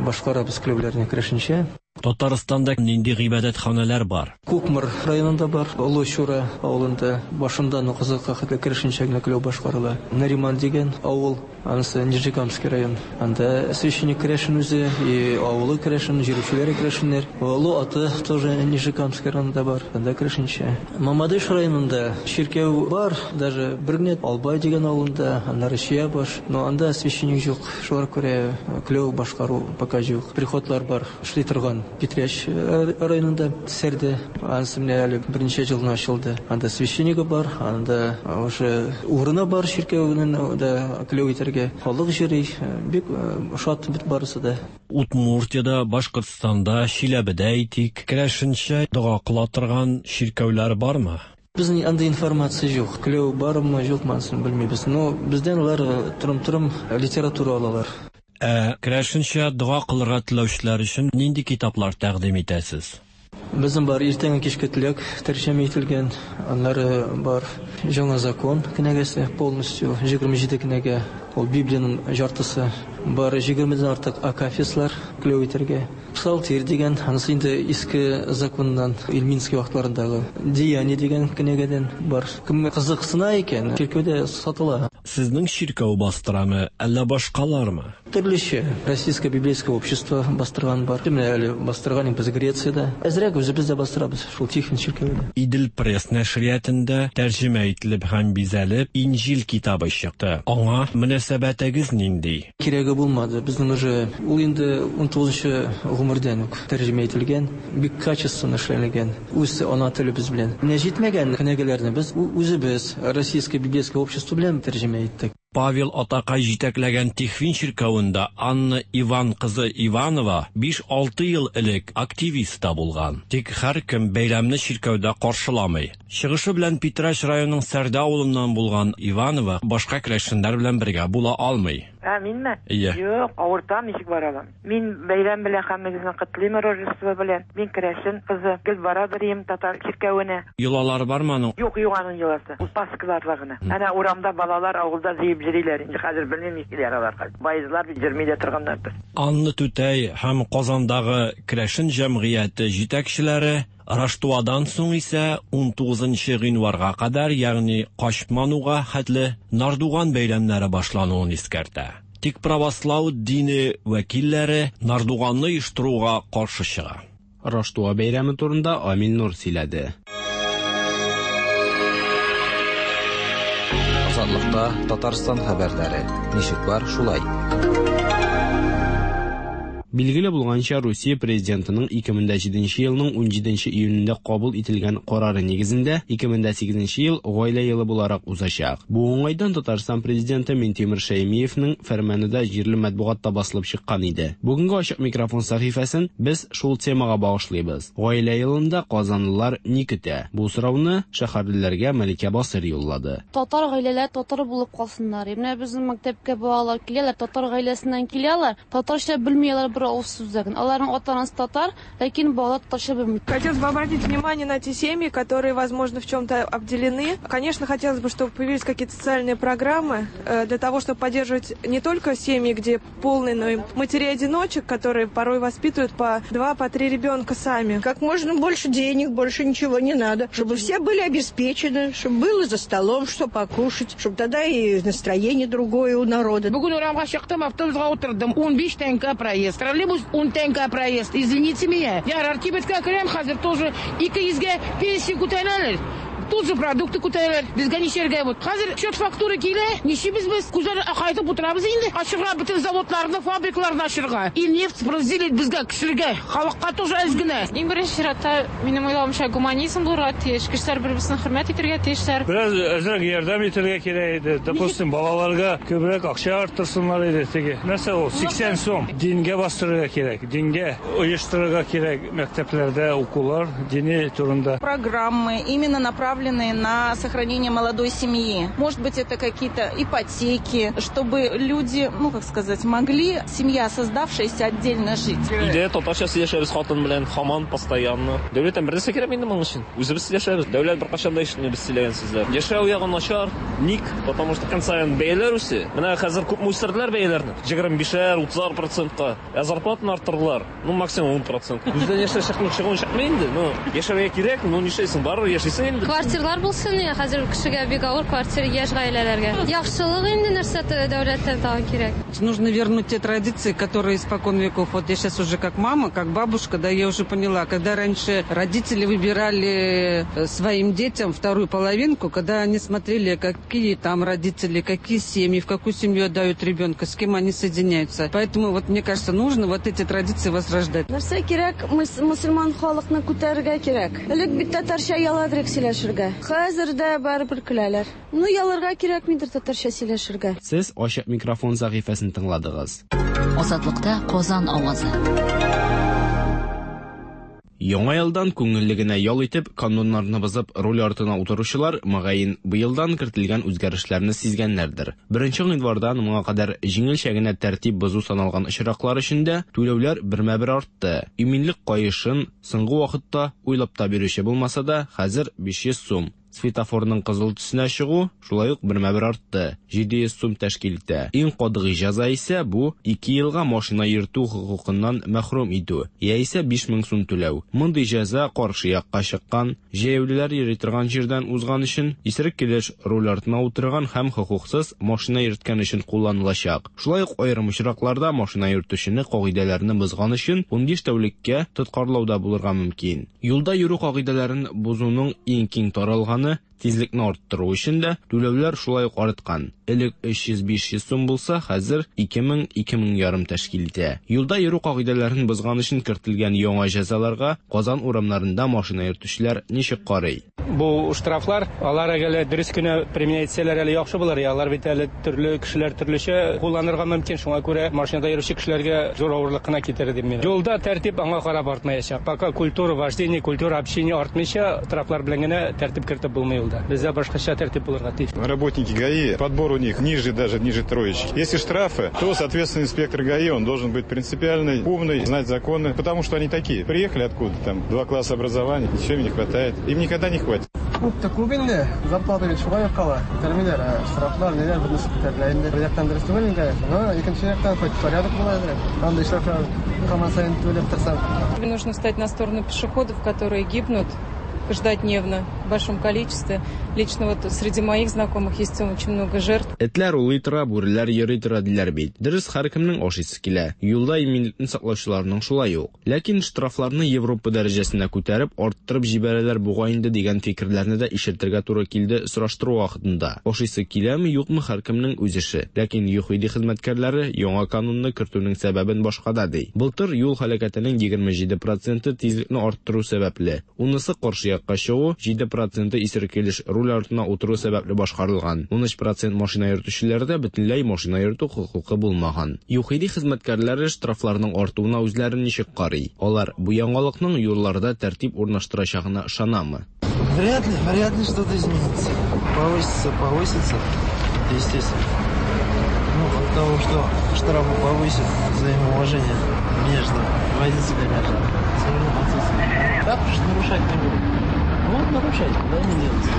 башкарабыз келәүләрне керәшенчә. Татарстанда нинди гыйбадәтханәләр бар? Кукмар районында бар, Олы Чура авылында башында Нукызыкка хәтле керәшенчә генә келәү башкарыла. Нариман дигән авыл, анысы Нижнекамский район. Анда священник керәшен үзе, и авылы керәшен, җирүчеләре керәшеннәр. Олы Аты тоже Нижнекамский районында бар, анда керәшенчә. Мамадыш районында чиркәү бар, даже бер генә Албай дигән авылында, аннары Чиябаш, но анда священник юк. Шуңа күрә келәү башкару пока юк. Приходлар бар, эшли торган. Питрәч районында, Сәрдә. Анысы менә әле берничә ел гына ачылды. Анда священнигы бар, анда уже урыны бар чиркәүнең дә келәү итәргә. Халык җыри, бик шат бит барысы да. Удмуртиядә, Башкортстанда, Чиләбедә әйтик, керәшенчә дога кыла торган чиркәүләр бармы? Безнең андый информация юк. Келәү бармы, юкмы, анысын белмибез. Но бездән алар торым-торым литература алалар. Ә керәшенчә дога кылырга теләүчеләр өчен нинди китаплар тәкъдим итәсез? Безнең бар иртәнге кичке теләк тәрҗемә ителгән, аннары бар Яңа закон кенәгәсе полностью 27 кенәгә, ул Библиянең яртысы. Бар 20дән артык акафистлар келәү итәргә. Псалтирь дигән, анысы инде иске законнан, Ильминский вакытларындагы. Деяния дигән кенәгәдән бар. Кем кызыксына икән, чиркәүдә сатыла. Сезнең чиркәү бастырамы, әллә башкалармы? Төрлечә. Российское библейское общество бастырган бар. Менә әле бастырган идек без Грециядә. Әзрәк үзебез дә бастырабыз, шул Тихвин чиркәвендә. Идел-пресс нәшриятында тәрҗемә ителеп һәм бизәлеп Инҗил китабы чыкты. Аңа мөнәсәбәтегез нинди? Кирәге булмады. Безнең уже ул инде унтугызынчы гомердән үк тәрҗемә ителгән, бик качественно эшләнелгән, үз ана телебез белән. Менә җитмәгән кенәгәләрне без үзебез Российское библейское общество белән тәрҗемә иттек. Павел атакай җитәкләгән Тихвин чиркәвендә Анна Иван кызы Иванова биш-алты ел элек активист та булган. Тик һәркем бәйрәмне чиркәүдә каршыламый. Чыгышы белән Питрәч районының Сәрдә авылыннан булган Иванова башка керәшеннәр белән бергә була алмый. Ә, минме? Ие. Юк, авыртам, ничек бара алам. Мин бәйрәм белән һәммәгезне котлыйм Рождество белән. Мин керәшен кызы. Гел бара берием татар чиркәвенә. Йолалары бармы аның? Юк, юк аның йоласы. Ул Пасхаларда гына. Әнә урамда балалар авылда җыеп җөриләр. Инде хәзер белмим нишлиләр алар хәзер. Баезлар бит җөрми дә торганнардыр. Анна түтәй һәм Казандагы керәшен җәмгыяте җитәкчеләре Раштуадан соң исә унтугызынчы гыйнварга кадәр, ягъни Качмануга хәтле Нардуган бәйрәмнәре башлануын искәртә. Тик правослау дине вәкилләре Нардуганны оештыруга каршы чыга. Раштуа бәйрәме турында Амил Нур сөйләде. Азатлыкта Татарстан хәбәрләре. Ничек бар, шулай. Билгеле булганча, Русия Президентының 2007 елның 17 июнендә кабул ителгән карары нигезендә 2008 ел Гаилә елы буларак узачак. Бу уңайдан Татарстан Президенты Минтимер Шәймиевнең фәрманы да җирле матбугатта басылып чыккан иде. Бүгенге Ачык микрофон сәхифәсен без шул темага багышлыйбыз. Гаилә елында казанлылар ни көтә? Бу сорауны шәһәрлеләргә Мәликә Басыйр юллады. Татар гаиләләр татар булып калсыннар. Менә безнең мәктәпкә балалар киләләр, татар гаиләсеннән киләләр. Татарча белми алар бер авыз сүз дә. Аларның ата-анасы татар, ләкин балалар татарча белми. Хотелось бы обратить внимание на те семьи, которые, возможно, в чем-то обделены. Конечно, хотелось бы, чтобы появились какие-то социальные программы для того, чтобы поддерживать не только семьи, где полные, но и матерей-одиночек, которые порой воспитывают по два, по три ребенка сами. Как можно больше денег, больше ничего не надо. Чтобы все были обеспечены, чтобы было за столом, что покушать, чтобы тогда и настроение другое у народа. Бүген урамга чыктым, автобуска утырдым. 15 тәңкә проезд. Троллейбус 10 тәңкә проезд. Извините меня. Ярар, кибеткә керәм, хәзер тоже 200гә пенсия күтәрәләр. Тут же продукты күтәрәләр. Безгә ничәргә вот. Хәзер счет фактура килә. Ничибез без? Күзләр акайтып утырабыз инде. Ачырга бөтен заводларны, фабрикаларны ачырга. И нефть разделить безгә, кешеләргә, халыкка тоже әз генә. Иң беренче чиратта, минем уйлавымча, гуманизм булырга тиеш. Кешеләр бер-берсен хөрмәт итәргә тиешләр. Бераз әзрәк ярдәм итәргә кирәк иде. Допустим, балаларга күбрәк акча арттырсыннар иде теге. Нәрсә ул? 80 сум. Дингә бастырырга кирәк. Дингә оештырырга кирәк мәктәпләрдә укулар дини турында. Программы именно направленные на сохранение молодой семьи. Может быть, это какие-то ипотеки, чтобы люди, ну, как сказать, могли, семья создавшаяся, отдельно жить. Өйдә татарча сөйләшәбез хатын белән, һаман постоянно. Дәүләттән бер нәрсә кирәкми инде моның өчен. Үзебез сөйләшәбез. Дәүләт беркайчан да ишетми без сөйләгән сүзләр. Яшәү ягы начар. Ник? Потому что көн саен бәяләр үсә. Менә хәзер күпме үстерделәр бәяләрне? 25-әр, 30-ар процентка. Ә зарплатаны арттырдылар. Ну, максимум 10 процент. Күздән яшьләр чыкмый, чыгуын чыкмый инде. Ну, яшәргә кирәк, ну, нишләйсең, барыбер яшисең инде. Квартирлар булсын, я хәзер кешегә бик авыр квартир яшь гаиләләргә. Яхшылык инде нәрсә дәүләттән тагын кирәк. Нужно вернуть те традиции, которые испокон веков. Вот я сейчас уже как мама, как бабушка, да, я уже поняла, когда раньше родители выбирали своим детям вторую половинку, когда они смотрели, как, какие там родители, какие семьи, в какую семью отдают ребенка, с кем они соединяются. Поэтому, вот, мне кажется, нужно вот эти традиции возрождать. Нәрсә кирәк, мөселман халыкны күтәрергә кирәк. Элек бит татарча ояладырык сөйләшергә. Хәзер дә барыбер көләләр. Ну, оялырга кирәкмидер татарча сөйләшергә. Сез ачык микрофон сәхифәсен тыңладыгыз. Азатлыкта Казан авазы. Яңа елдан күңелле генә ял итеп, кануннарны бозып руль артына утыручылар, мөгаен, быелдан кертелгән үзгәрешләрне сизгәннәрдер. Беренче гыйнвардан моңа кадәр җиңелчә генә тәртип бозу саналган очраклар өчен дә түләүләр бермә-бер артты. Иминлек каешын соңгы вакытта уйлап та бирүче булмаса да, хәзер 500 сум. Светофорның кызыл төсенә чыгу шулай ук бермә-бер артты, 700 сум тәшкил итә. Иң катгый җәза исә бу, ике елга машина йөртү хокукыннан мәхрүм итү, яисә 5000 сум түләү. Мондый җәза каршы якка чыккан, җәяүлеләр йөри торган җирдән узган өчен, исерек килеш руль артына утырган һәм хокуксыз машина йөрткән өчен кулланылачак. Шулай ук аерым очракларда машина йөртүчене кагыйдәләрне бозган өчен 15 тәүлеккә тоткарлау да булырга мөмкин. Юлда йөрү кагыйдәләрен бозуның иң киң таралганы, тизлекне арттыру өчен дә түләүләр шулай ук арткан. Элек 300-500 сум булса, хәзер 2000-2000 ярым тәшкил итә. Юлда йөрү кагыйдәләрен бозган өчен кертелгән яңа җәзаларга Казан урамнарында машина йөртүчеләр ничек карый? Бу штрафлар, алар әгәр дөрес кенә применять итсәләр әле яхшы булыр. Алар бит әле төрле кешеләр төрлечә кулланырга мөмкин. Шуңа күрә машинада йөрүче кешеләргә зур авырлык кына китерер дим мин. Юлда тәртип аңа карап артмаячак. Пока культура вождения, культура общения артмыйча, штрафлар белән генә тәртип кертеп булмый юлда. Бездә башкача тәртип булырга тиеш. Работники ГАИ, подбор у них ниже, даже ниже троечки. Если штрафы, то, соответственно, инспектор ГАИ, он должен быть принципиальный, умный, знать законы, потому что они такие. Приехали откуда там, 2 класса образования, ничего им не хватает. Им никогда не хватит. Күп тә күп инде, зарплата бит шулай ук кала. Күтәрмиләр, ә штрафлар ниләр бөтенесе күтәрелә инде. Бер яктан дөрес түгел инде, но икенче яктан хоть порядок була әзрәк. Андый штрафлар һаман саен түләп торсаң. Нужно встать на сторону пешеходов, которые гибнут каждодневно в большом количестве. Лично вот среди моих знакомых есть очень много жертв. Этләр улый тора, бүреләр йөри тора диләр бит. Дөрес, һәркемнең ашыйсы килә. Юлда иминлекне саклаучыларның шулай ук. Ләкин штрафларны Европа дәрәҗәсенә күтәреп, арттырып җибәрәләр бугай инде дигән фикерләрне дә ишетергә туры килде сораштыру вакытында. Ашыйсы киләме, юкмы, һәркемнең үз эше. Ләкин ЮХИДИ хезмәткәрләре яңа канунны кертүнең сәбәбен башкада ди. Былтыр юл һәлакәтенең 27 проценты тизлекне арттыру сәбәпле. Унысы каршы якка чыгу, 7 проценты исерек килеш руль артына утыру сәбәпле башкарылган. 13 процент машина йөртүчеләрдә бөтенләй машина йөртү хокукы булмаган. ЮХИДИ хезмәткәрләре штрафларның артуына үзләре ничек карый? Алар бу яңалыкның юлларда тәртип урнаштырачагына ышанамы? Вряд ли, вряд ли что-то изменится. Повысится, повысится, это естественно. Ну, от того, что штрафы повысят, взаимоуважение между водителями, все равно процесс. Так уж нарушать не будут. Будут нарушать, куда они денутся.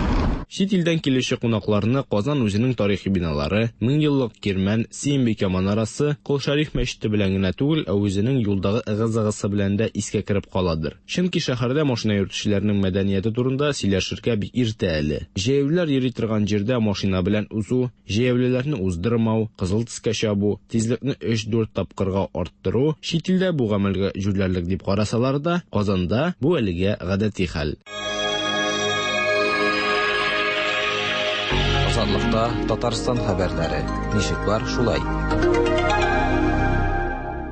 Чит илдән килүче кунакларны Казан үзенең тарихи биналары, меңьеллык Кирмән, Сөембикә манарасы, Кол Шәриф мәчете белән генә түгел, ә үзенең юлдагы ыгы-зыгысы белән дә искә кереп каладыр. Чөнки шәһәрдә машина йөртүчеләрнең мәдәнияте турында сөйләшергә бик иртә әле. Җәяүлеләр йөри торган җирдә машина белән узу, җәяүлеләрне уздырмау, кызыл төскә чабу, тизлекне 3-4 тапкырга арттыру, чит илдә бу гамәлгә җүләрлек дип карасалар да, Казанда бу әлегә гадәти хәл. Азатлыкта Татарстан хәбәрләре. Ничек бар, шулай.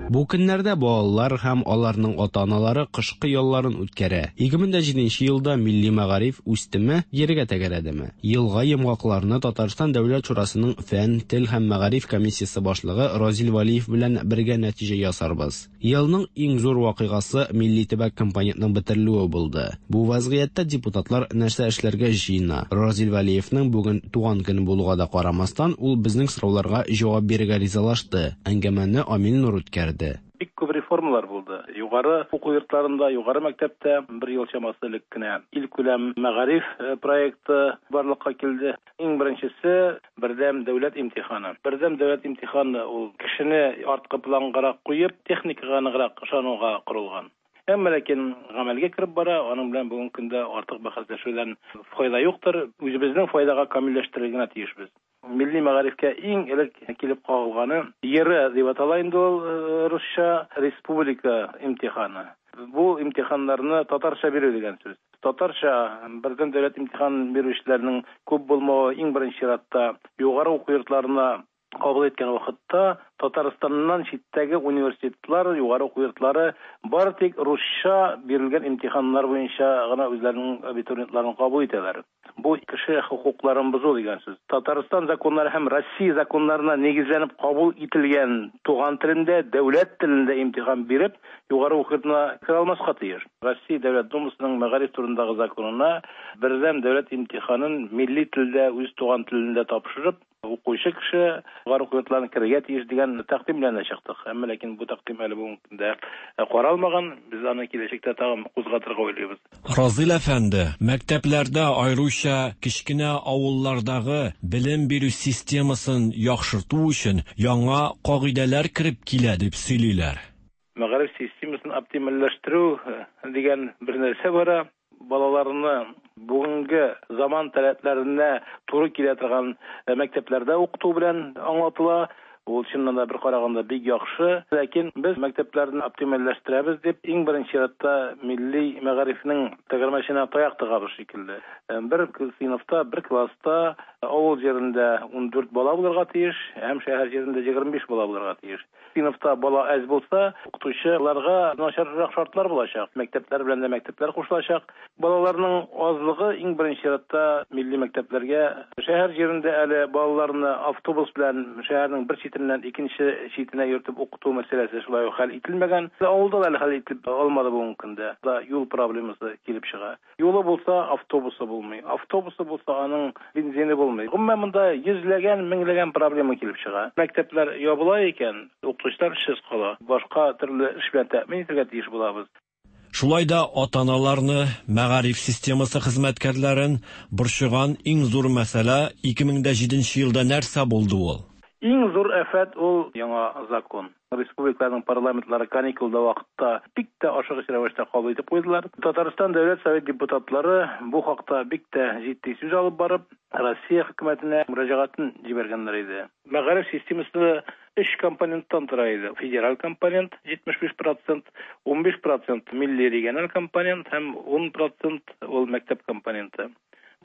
Бу көннәрдә балалар һәм аларның ата-аналары кышкы ялларын үткәрә. 2007 елда милли мәгариф үстеме, җиргә тәгәрәдеме? Елга йомгакларны Татарстан Дәүләт Шурасының фән, тел һәм мәгариф комиссиясе башлыгы Разил Валиев белән бергә нәтиҗә ясарбыз. Елның иң зур вакыйгасы милли төбәк компонентның бетерелүе булды. Бу вазгыятьтә депутатлар нәрсә эшләргә җыена? Разил Валиевның бүген туган көне булуга да карамастан, ул безнең сорауларга җавап бирергә ризалашты. Әңгәмәне Амил Нур үткәрде. Бик күп реформалар булды. Югары уку йортларында, югары мәктәптә бер ел чамасы элек кенә илкүләм мәгариф проекты барлыкка килде. Иң беренчесе бердәм дәүләт имтиханы. Бердәм дәүләт имтиханы ул кешене арткы плангарак куеп, техникага ныграк ышануга корылган. Әмма ләкин гамәлгә кереп бара, аның белән бүгенге көндә артык бәхәсләшүдән файда юктыр. Үзебезнең файдага камилләштерергә генә тиешбез. Милли мәгарифкә иң элек килеп кагылганы ЕРЭ дип атала инде ул русча республика имтиханы. Бу имтиханнарны татарча бирү дигән сүз. Татарча бердәм дәүләт имтихан бирүчеләрнең күп булмавы иң беренче чиратта югары уку йортларына кабул иткән вакытта Татарстаннан читтәге университетлар, югары уку йортлары бары тик русча бирелгән имтиханнар буенча гына үзләренең абитуриентларын кабул итәләр. Бу кеше хокукларын бозу дигән сүз. Татарстан законнары һәм Россия законнарына нигезләнеп кабул ителгән туган телендә, дәүләт телендә имтихан биреп, югары уку йортына керә алмаска тиеш. Россия Дәүләт Думасының мәгариф турындагы законына бердәм дәүләт имтиханын милли телдә, үз туган телендә тапшырып, Укучы кеше югары уку йортларына керергә тиеш дигән тәкъдим белән дә чыктык. Әмма ләкин бу тәкъдим әле бүгенге көндә каралмаган. Без аны киләчәктә тагын кузгатырга уйлыйбыз. Разил әфәнде, мәктәпләрдә, аеруча кечкенә авыллардагы белем бирү системасын яхшырту өчен яңа кагыйдәләр кереп килә дип сөйлиләр. Мәгариф системасын оптимальләштерү дигән бер нәрсә бара. Балаларны бүгенге заман таләпләренә туры килә торган мәктәпләрдә укыту белән аңлатыла. Ул чыннан да бер караганда бик яхшы. Ләкин без мәктәпләрне оптимальләштерәбез дип, иң беренче чиратта милли мәгарифнең тәгәрмәченә таяк тыгабыз шикелле. Бер сыйныфта, бер класста авыл җирендә 14 бала булырга тиеш, һәм шәһәр җирендә 25 бала булырга тиеш. Сыйныфта бала әз булса, укытучыларга начаррак шартлар булачак. Мәктәпләр белән дә мәктәпләр кушылачак. Балаларның азлыгы иң беренче чиратта милли мәктәпләргә. Шәһәр җирендә әле балаларны автобус белән шәһәрнең бер читеннән икенче читенә йөртеп укыту мәсьәләсе шулай ук хәл ителмәгән. Авылда да әле хәл ителеп алмады бүгенге көндә. Да юл проблемасы килеп чыга. Юлы булса, автобусы булмый. Автобусы булса, аның бензины булмый. Гомумән, монда йөзләгән, меңләгән проблема килеп чыга. Мәктәпләр ябыла икән, укытучылар эшсез кала. Башка төрле эш белән тәэмин итәргә тиеш булабыз. Шулай да ата-аналарны, мәгариф системасы хезмәткәрләрен борчыган иң зур мәсьәлә, 2007 нче елда нәрсә булды ул? Иң зур афәт ул яңа закон. Республикаларның парламентлары каникулда вакытта бик тә ашыгыч рәвештә кабул итеп куйдылар. Татарстан Дәүләт Совет депутатлары бу хакта бик тә җитди сүз алып барып, Россия хөкүмәтенә мөрәҗәгатен җибәргәннәр иде. Мәгариф системасы өч компоненттан тора иде. Федераль компонент 75 процент, 15 процент милли региональ компонент һәм 10 процент ул мәктәп компоненты.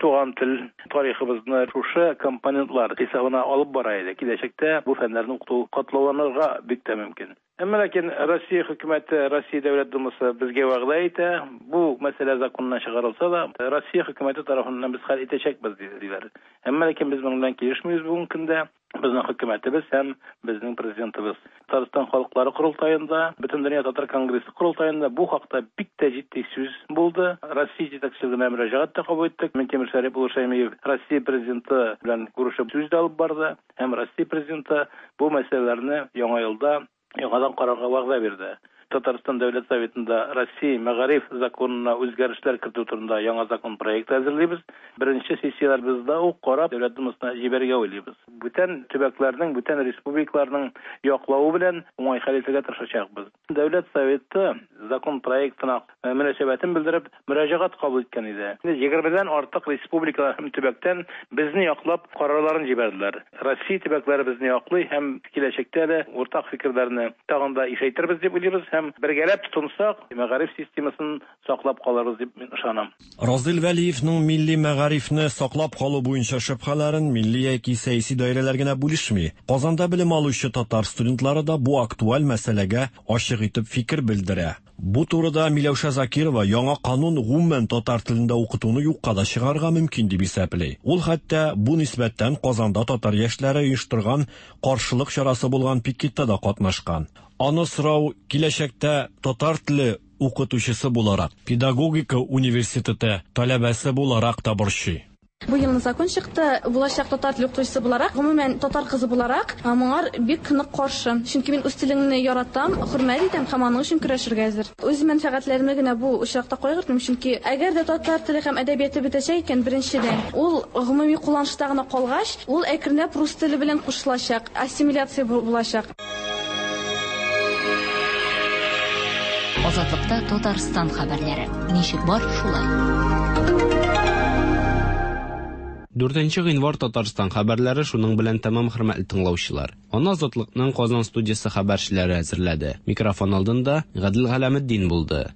Туган тел тарихыбызны шушы компонентлар хисабына алып бара иде. Киләчәктә бу фәннәрне укыту катлауланырга бик тә мөмкин. Әмма ләкин Россия хөкүмәте, Россия Дәүләт Думасы безгә вәгъдә итә, бу мәсьәлә законнан чыгарылса да, Россия хөкүмәте тарафыннан без хәл итәчәкбез, диләр. Әмма ләкин без моның белән килешмибез бүгенге көндә. Безнең хөкүмәтебез һәм безнең президентыбыз. Татарстан халыклары корылтаенда, Бөтендөнья татар конгрессы корылтаенда бу хакта бик тә җитди сүз булды. Россия җитәкчелегенә мөрәҗәгать тә кабул иттек. Минтимер Шәрип улы Шәймиев Россия президенты белән күрешеп сүз дә алып барды һәм Россия президенты бу мәсьәләләрне яңа елда яңадан карарга вәгъдә бирде. Татарстан Дәүләт Советында Россия мәгариф законына үзгәрешләр кертү турында яңа закон проекты әзерлибез. Беренче сессияләребездә үк карап, Дәүләт Думасына җибәрергә уйлыйбыз. Бүтән төбәкләрнең, бүтән республикаларның яклавы белән уңай хәл итәргә тырышачакбыз. Дәүләт Советы закон проектына мөнәсәбәтен белдереп, мөрәҗәгать кабул иткән иде. Инде егермедән артык республикалар һәм төбәктән безне яклап карарларын җибәрделәр. Россия төбәкләре безне яклый һәм киләчәктә дә уртак фикерләрне тагын да ишәйтербез дип уйлыйбыз һәм бергәләп тотынсак, мәгариф системасын саклап калырбыз дип мин ышанам. Разил Вәлиевның милли мәгарифне саклап калу буенча шөбһәләрен милли яки сәяси даирәләр генә бүлешми. Казанда белем алучы татар студентлары да бу актуаль мәсьәләгә ачык итеп фикер белдерә. Бу турыда Миләүшә Закирова яңа канун гомумән татар телендә укытуны юкка да чыгарырга мөмкин дип исәпли. Ул хәтта бу нисбәттән Казанда татар яшьләре оештырган каршылык чарасы булган пикетта да катнашкан. Аны сорау киләчәктә татар теле укытучысы буларак, педагогика университеты таләбәсе буларак та борчый. Бу елны закон чыкты. Булачак татар теле укытучысы буларак, гомумән, татар кызы буларак, моңар бик нык каршы. Чөнки мин үз телеңне яратам, хөрмәт итәм һәм аның өчен көрәшергә әзер. Үз мәнфәгатьләремне генә бу очракта кайгыртмыйм, чөнки әгәр дә татар теле һәм әдәбияты бетәчәк икән, беренчедән, ул гомуми кулланышта гына калгач, ул әкренләп рус теле белән кушылачак, ассимиляция булачак. Азатлыкта Татарстан хәбәрләре. Ничек бар, шулай. 4 гыйнвар Татарстан хәбәрләре шуның белән тәмам, хөрмәтле тыңлаучылар. Аны Азатлыкның Казан студиясе хәбәрчеләре әзерләде. Микрофон алдында Гадел Галәметдин булды.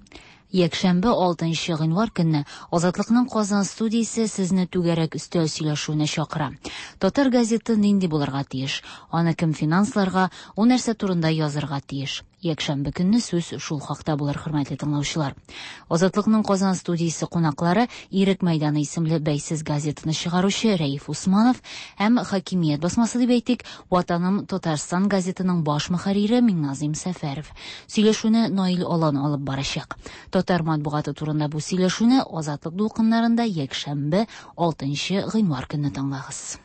Якшәмбе 6 гыйнвар көнне Азатлыкның Казан студиясе сезне түгәрәк өстәл сөйләшүенә чакыра. Татар газеты нинди булырга тиеш? Аны кем финансларга, ул нәрсә турында язырга тиеш? Якшәмбе көнне сүз шул хакта булыр, хөрмәтле тыңлаучылар. Азатлыкның Казан студиясе кунаклары Ирек мәйданы исемле бәйсез газетаны чыгаручы Рәиф Усманов һәм хакимият басмасы дип әйтик, Ватаным Татарстан газетының баш мөхәррире Миңназыйм Сәфәров. Сөйләшүне Наил Алан алып барачак. Татар матбугаты турында бу сөйләшүне Азатлык дулкыннарында якшәмбе 6 гыйнвар көнне тыңлагыз.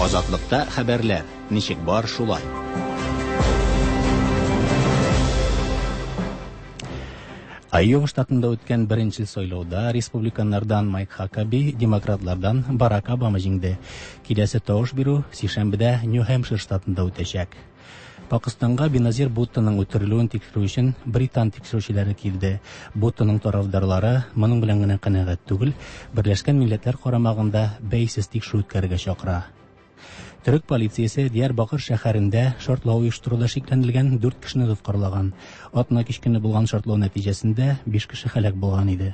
Азатлыкта хәбәрләр ничек бар шулай. Айова штатында үткән беренче сайлауда республиканнардан Майк Хакаби, демократлардан Барак Обама җиңде. Киләсе тавыш бирү сишәмбедә Нью-Хэмпшир штатында үтәчәк. Пакыстанга Беназир Буттоның үтерелүен тикшерү өчен британ тикшерүчеләре килде. Буттоның тарафдарлары моның белән генә канәгать түгел, Берләшкән Милләтләр карамагында бәйсез тикшерү үткәрергә чакыра. Төрек полициясе Диярбакыр шәһәрендә шартлау оештыруда шикләнелгән 4 кешене тоткарлаган. Атна кич көне булган шартлау нәтиҗәсендә 5 кеше һәлак булган иде.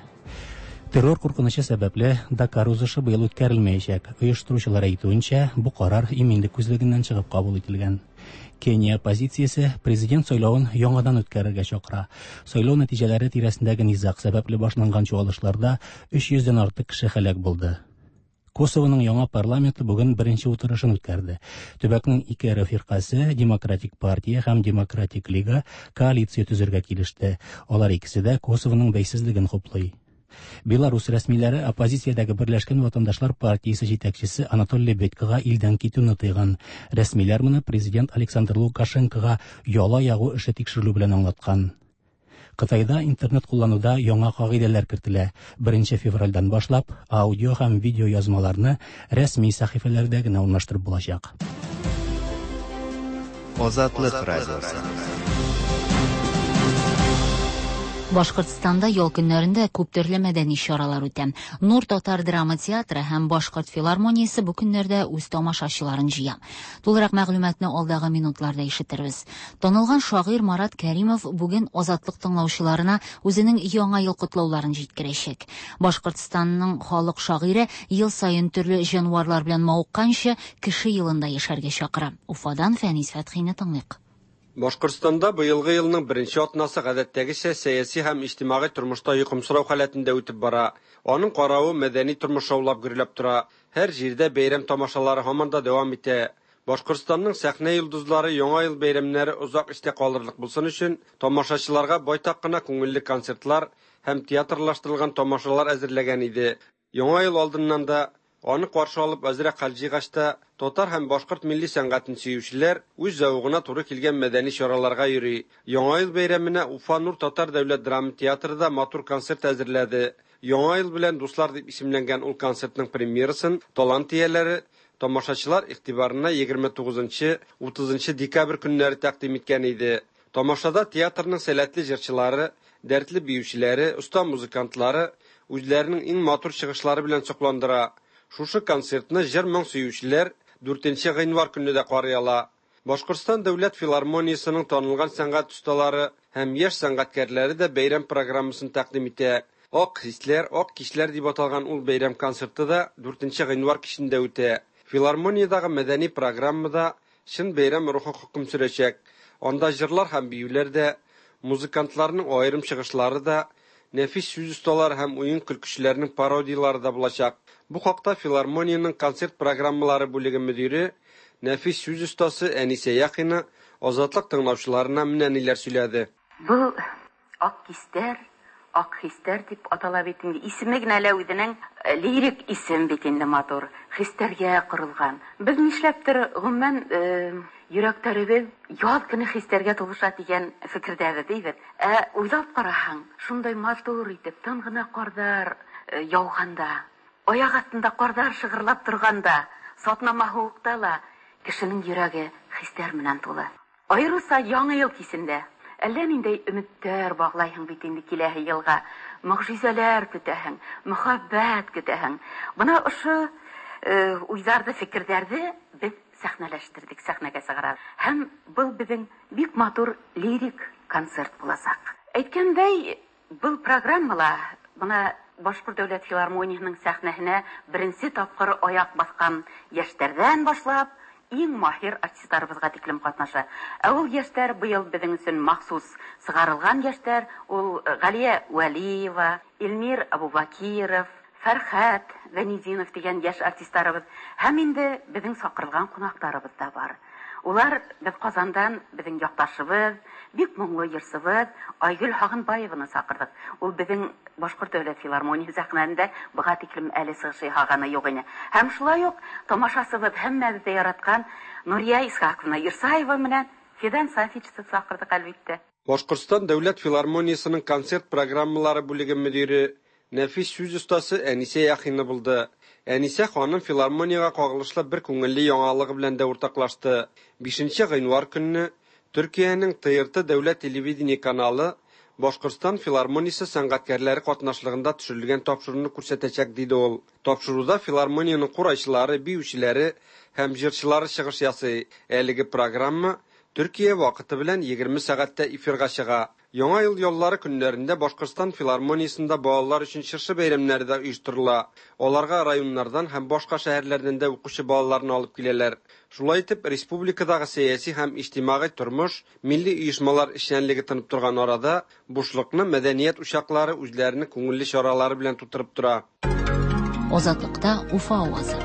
Террор куркынычы сәбәпле Дакар узышы быел үткәрелмәячәк. Оештыручылар әйтүенчә, бу карар иминлек күзлегеннән чыгып кабул ителгән. Кения оппозициясе президент сайлавын яңадан үткәрергә чакыра. Сайлау нәтиҗәләре тирәсендәге низаг сәбәпле башланган чуалышларда 300 дән артык кеше һәлак булды. Косовоның яңа парламенты бүген беренче утырышын үткәрде. Төбәкнең ике эре фиркасе, Демократик партия һәм Демократик лига коалиция төзергә килеште. Алар икесе дә Косовоның бәйсезлеген хуплый. Беларусь рәсмиләре оппозициядәге Берләшкән ватандашлар партиясе җитәкчесе Анатолий Лебедькага илдән китүне тыйган. Рәсмиләр моны президент Александр Лукашенкога яла ягу эше тикшерелү белән аңлаткан. Кытайда интернет куллануда яңа кагыйдәләр кертелә. 1 февральдән башлап аудио һәм видео язмаларны рәсми сәхифәләрдә генә урнаштырып булачак. Азатлык радиосы. Башкортстанда ял көннәрендә күп төрле мәдәни чаралар үтә. Нур татар драма театры һәм Башкорт филармониясе бу көннәрдә үз тамашачыларын җыя. Тулырак мәгълүматны алдагы минутларда ишетербез. Танылган шагыйрь Марат Кәримов бүген Азатлык тыңлаучыларына үзенең яңа ел котлауларын җиткерәчәк. Башкортстанның халык шагыйре ел саен төрле җанварлар белән мавыкканчы кеше елында яшәргә чакыра. Уфадан Фәнис Фәтхине тыңлыйк. Башкортстанда быелгы елның беренче атнасы гадәттәгечә сәяси һәм иҗтимагый тормышта йокымсырау халәтендә үтеп бара. Аның каравы мәдәни тормыш шаулап гөрләп тора. Һәр җирдә бәйрәм тамашалары һаман да дәвам итә. Башкортстанның сәхнә йолдызлары яңа ел бәйрәмнәре озак истә калырлык булсын өчен тамашачыларга байтак кына күңелле концертлар һәм театрлаштырылган тамашалар әзерләгән иде. Яңа ел алдыннан да аны каршы алып әзрәк хәл җыйгач та татар һәм башкорт милли сәнгатен сөючеләр үз зәвыгына туры килгән мәдәни чараларга йөри. Яңа ел бәйрәменә Уфа Нур татар дәүләт драма театры да матур концерт әзерләде. Яңа ел белән дуслар дип исемләнгән ул концертның премьерасын талант ияләре тамашачылар игътибарына 29-30 декабрь көннәре тәкъдим иткән иде. Тамашада театрның сәләтле җырчылары, дәртле биючеләре, оста музыкантлары үзләренең иң матур чыгышлары белән сокландыра. Шушы концертны җыр-моң сөючеләр 4 гыйнвар көнне дә карый ала. Башкортстан дәүләт филармониясенең танылган сәнгать осталары һәм яшь сәнгатькәрләре дә бәйрәм программасын тәкъдим итә. Ак хисләр, ак кичләр дип аталган ул бәйрәм концерты да 4 гыйнвар кичендә үтә. Филармониядагы мәдәни программада чын бәйрәм рухы хөкем сөрәчәк. Анда җырлар һәм биюләр дә, музыкантларның аерым чыгышлары да, нәфис сүз осталары һәм уен көлкүчеләрнең пародиялары да булачак. Бу хакта филармониянең концерт программалары бүлеге мөдире, нәфис сүз остасы Әнисә Яхина Азатлык тыңлаучыларына менә ниләр сөйләде. Бу ак кистәр, ак хистәр дип атала бит инде. Исеме генә лә үзенең лирик исем бит инде матур. Хистәргә корылган. Без нишләптер гомумән йөрәкләребез яз көне хистәргә тулыша дигән фикердәбез, дибез. Ә уйлап караһаң, шундай матур итеп тын гына кардар яуганда, аяк астында кардар шыгырлап торганда, сатнама һуыкта ла кешенең йөрәге хистәр менән тулы. Аеруча яңа ел кисендә әллә ниндәй өметтәр баглайһың бит инде киләһе елга. Могҗизәләр көтәһең, мөхәббәт көтәһең. Бына ошо уйҙарҙы, фекерҙәрҙе беҙ сәхнәләштердек, сәхнәгә чыгарабыз. Һәм был безнең бик матур лирик концерт булачак. Әйткәндәй, был программала менә Башкорт дәүләт филармонияһының сәхнәһенә беренче тапкыр аяк баскан яшьләрдән башлап, иң маһир артистларыбызга тиклем катнаша. Ә ул яшьләр быел безнең өчен махсус чыгарылган яшьләр, ул Галия Вәлиева, Эльмир Абубакиров, Фәрхәт Гайнетдинов дигән яшь артистларыбыз һәм инде безнең чакырылган кунакларыбыз да бар. Улар без Казандан безнең якташыбыз, бик моңлы җырчыбыз Айгөл Һагынбаеваны чакырдык. Ул безнең Башкорт дәүләт филармониясе сәхнәсендә быга тиклем әле чыгыш ясаганы юк иде. Һәм шулай ук тамашасыбыз һәммәбез дә яраткан Нурия Исхаковна Ирсаева менән Фидан Сафичны чакырдык, әлбиттә. Башкортстан дәүләт филармониясенең концерт программалары бүлеге мөдире, нәфис сүз остасы Әнисә Яхина булды. Әнисә ханым филармониягә кагылышлы бер күңелле яңалыгы белән дә уртаклашты. 5 гыйнвар көнне Төркиянең ТРТ дәүләт телевидение каналы Башкортстан филармониясе сәнгатькәрләре катнашлыгында төшерелгән тапшыруны күрсәтәчәк, диде ул. Тапшыруда филармониянең курайчылары, биючеләре һәм җырчылары чыгыш ясый. Әлеге программа Төркия вакыты белән 20 сәгатьтә эфирга чыга. Яңа ел яллары көннәрендә Башкортстан филармониясендә балалар өчен чыршы бәйрәмнәре дә оештырыла. Аларга районнардан һәм башка шәһәрләрдән дә укучы балаларны алып киләләр. Шулай итеп, республикадагы сәяси һәм иҗтимагый тормыш, милли оешмалар эшчәнлеге тынып торган арада, бушлыкны мәдәният учаклары үзләренең күңелле чаралары белән тутырып тора. Азатлыкта Уфа авазы.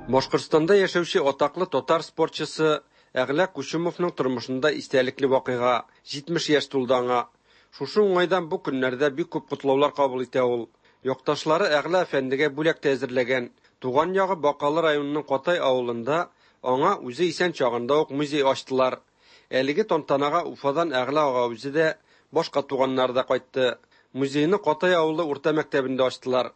Башкортстанда яшәүче атаклы татар спортчысы Әгълә Кучумовның тормышында истәлекле вакыйга, 70 яшь тулды аңа. Шушы уңайдан бу көннәрдә бик күп котлаулар кабул итә ул. Якташлары Әгълә әфәндегә бүләк тә әзерләгән. Туган ягы Бакалы районының Катай авылында аңа үзе исән чагында ук музей ачтылар. Әлеге тантанага Уфадан Әгълә ага үзе дә, башка туганнары да кайтты. Музейны Катай авылы урта мәктәбендә ачтылар.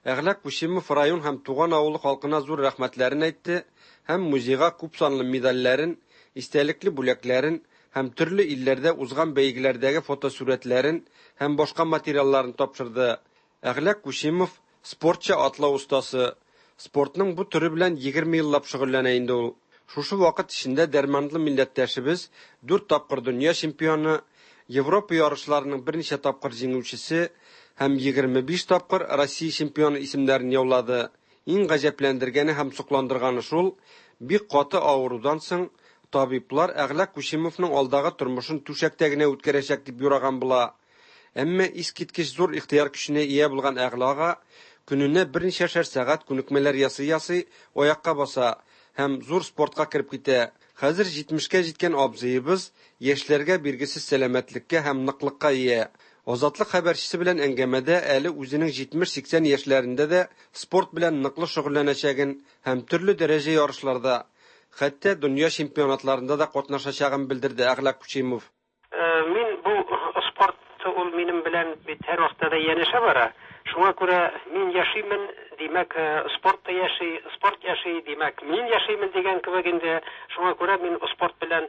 Әгълә Кучимов район һәм туган авылы халкына зур рәхмәтләрен әйтте һәм музейга күпсанлы медальләрен, истәлекле бүләкләрен һәм төрле илләрдә узган бәйгеләрдәге фотосурәтләрен һәм башка материалларын тапшырды. Әгълә Кучимов спортча атлау остасы. Спортның бу төре белән 20 еллап шөгыльләнә инде ул. Шушы вакыт эчендә дәрманлы милләттәшебез дүрт тапкыр дөнья чемпионы, Европа ярышларының берничә тапкыр җиңүчесе һәм 25 тапкыр Россия чемпионы исемнәрен яулады. Иң гаҗәпләндергәне һәм сокландырганы шул, бик каты авырудан соң табиблар Әгълә Кучимовның алдагы тормышын түшәктә генә үткәрәчәк дип юраган була. Әмма искиткеч зур ихтыяр көченә ия булган Әгълә ага көненә берничәшәр сәгать күнекмәләр ясый-ясый аякка баса һәм зур спортка кереп китә. Хәзер 70кә җиткән абзыебыз яшьләргә биргесез сәламәтлеккә һәм ныклыкка ия. Азатлык хәбәрчесе белән әңгәмәдә әле үзенең 70-80 яшьләрендә дә спорт белән ныклы шөгыльләнәчәген һәм төрле дәрәҗә ярышларда, хәтта дөнья чемпионатларында да катнашачагын белдерде Әгълә Кучимов. Мин бу спорт ул минем белән бит һәрвакытта да янәшә бара. Шуңа күрә мин яшимен, димәк, спорт та яши, спорт яши, димәк, мин яшимен дигән кебек инде. Шуңа күрә мин спорт белән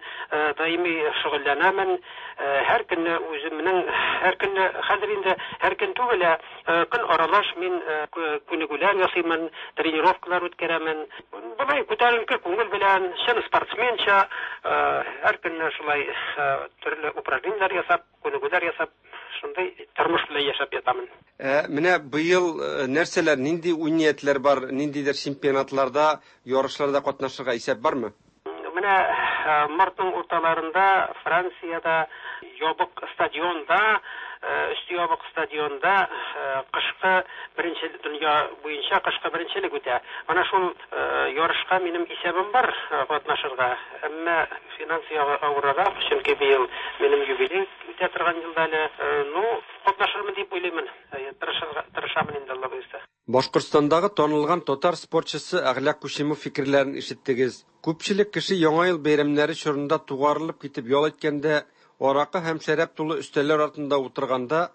даими шөгыльләнәмен. Һәр көнне үземнең, һәр көнне, хәзер инде һәр көн түгел, ә көн аралаш мин күнегүләр ясыймын, тренировкалар үткәрәмен. Болай күтәренке күңел белән, чын спортсменча, һәр көнне шулай төрле упражнениеләр ясап, күнегүләр ясап, шундый тормыш белән яшәп ятамын. Ә менә быел нәрсәләр, нинди уй-ниятләр бар, ниндидер чемпионатларда, ярышларда катнашырга исәп бармы? Менә мартның урталарында Франциядә ябык стадионда, өсте ябык стадионда кышкы беренче дөнья буенча кышкы беренчелек үтә. Менә шул ярышка минем исәбем бар катнашырга. Әмма финанс ягы авыррак, чөнки быел минем юбилей үтә торган елда әле. Ну, катнашырмын дип уйлыймын. Тырышырга тырышамын инде, Алла боерса. Башкортстандагы танылган татар спортчысы Әгълә Кучимов фикерләрен ишеттегез. Күпчелек кеше Яңа ел бәйрәмнәре чорында тугарылып китеп ял иткәндә, аракы һәм шәраб тулы өстәлләр артында утырганда,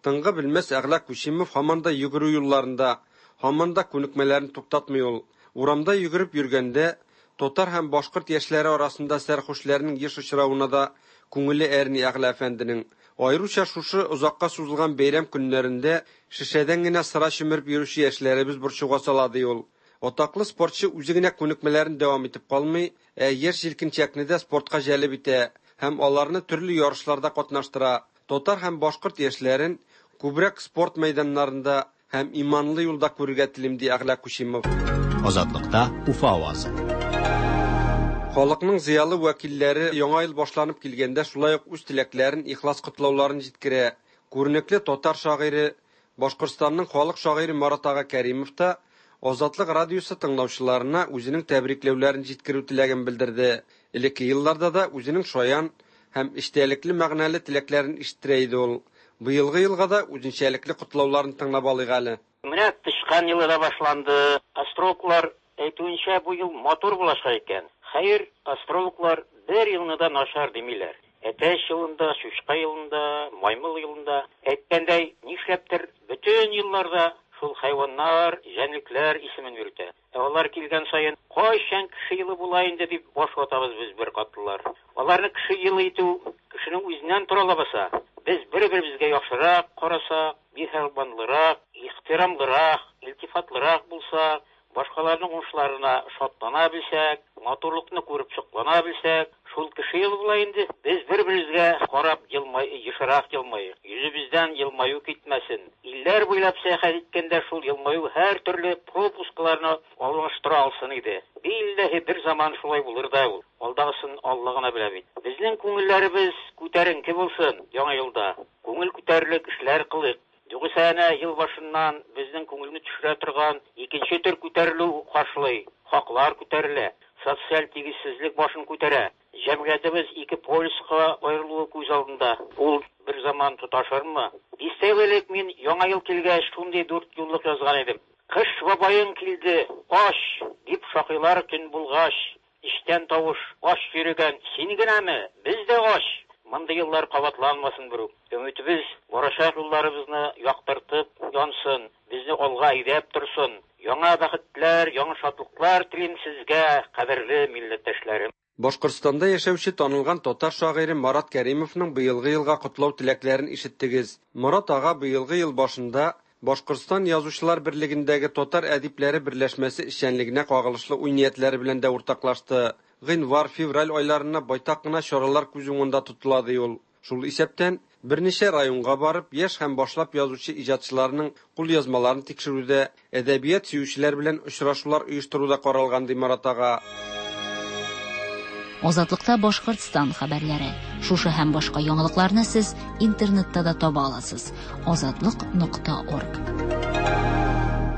тынгы белмәс Әгълә Кучимов һаман да йөгерү юлларында, һаман да күнекмәләрен туктатмый ул. Урамда йөгереп йөргәндә, татар һәм башкорт яшьләре арасында сәрхушләрнең еш очравына да күңеле әрни Әгълә әфәнденең. Аеруча шушы озакка сузылган бәйрәм көннәрендә шешәдән генә сыра чөмереп йөрүче яшьләребез борчуга сала, ди ул. Атаклы спортчы үзе генә күнекмәләрен дәвам итеп калмый, ә яшь-җилкенчәкне дә спортка җәлеп итә һәм аларны төрле ярышларда катнаштыра. Татар һәм башкорт яшьләрен күбрәк спорт мәйданнарында һәм иманлы юлда күрергә телим, ди Әгълә Кучимов. Азатлыкта Уфа авазы. Халыкның зыялы вәкилләре Яңа ел башланып килгәндә шулай ук үз теләкләрен, ихлас котлауларын җиткерә. Күренекле татар шагыйре, Башкортстанның халык шагыйре Марат ага Кәримов та Азатлык радиосы тыңлаучыларына үзенең тәбрикләүләрен җиткерү теләген белдерде. Элекке елларда да үзенең шаян һәм эчтәлекле-мәгънәле теләкләрен ишеттерә иде ул. Быелгы елга да үзенчәлекле котлауларын тыңлап алыйк әле. Менә тычкан елы да башланды. Астрологлар әйтүенчә, бу ел матур булачак икән. Хәер, астрологлар бер елны да начар димиләр. Әтәч елында, чучка елында, маймыл елында. Әйткәндәй, нишләптер, бөтен елларда шул хайваннар, җәнлекләр исемен йөртә. Ә алар килгән саен, кайчан кеше елы була инде дип баш ватабыз без беркатлылар. Аларны кеше елы итү кешенең үзеннән тора лабаса. Без бер-беребезгә яхшырак карасак, миһербанлырак, ихтирамлырак, илтифатлырак булсак, башкаларның уңышларына шатлана белсәк, матурлыкны күреп соклана белсәк, шул кеше елы була инде. Без бер-беребезгә карап елмай, ешрак елмаек, йөзебездән елмаю китмәсен. Илләр буйлап сәяхәт иткәндә шул елмаю һәртөрле пропускларны алыштыра алсын иде. Билләһи, бер заман шулай булыр да ул. Алдагысын Алла гына белә бит. Безнең күңелләребез күтәренке булсын Яңа елда. Күңел күтәрерлек эшләр кылыйк. Югыйсә әнә ел башыннан безнең күңелне төшерә торган икенче төр күтәрелү каршылый, хаклар күтәрелә, социаль тигезсезлек башын күтәрә. Җәмгыятебез ике полюска аерылуы күз алдында. Ул бер заман тоташырмы? Дистә ел элек мин Яңа ел килгәч шундый дүртьюллык язган идем. Кыш бабаең килде, ач! дип шакыйлар төн булгач. Эчтән тавыш, Ач йөрегән син генәме? Без дә ач! Мондый еллар кабатланмасын берүк. Өметебез барачак юлларыбызны яктыртып янсын, безне алга әйдәп торсын. Яңа бәхетләр, яңа шатлыклар телим сезгә, кадерле милләттәшләрем! Башкортстанда яшәүче танылган татар шагыйре Марат Кәримовның быелгы елга котлау теләкләрен ишеттегез. Марат ага быелгы ел башында Башкортстан Язучылар берлегендәге татар әдипләре берләшмәсе эшчәнлегенә кагылышлы уй-ниятләре белән дә уртаклашты. Гыйнвар, февраль айларына байтак кына чаралар күз уңында тотыла, ди ул. Шул исәптән, берничә районга барып, яшь һәм башлап язучы иҗатчыларның кулъязмаларын тикшерү дә, әдәбият сөючеләр белән очрашулар оештыру да каралган, ди Марат ага. Азатлыкта Башкортстан хәбәрләре. Шушы һәм башка яңалыкларны сез интернетта да таба аласыз. Азатлык нокта орг.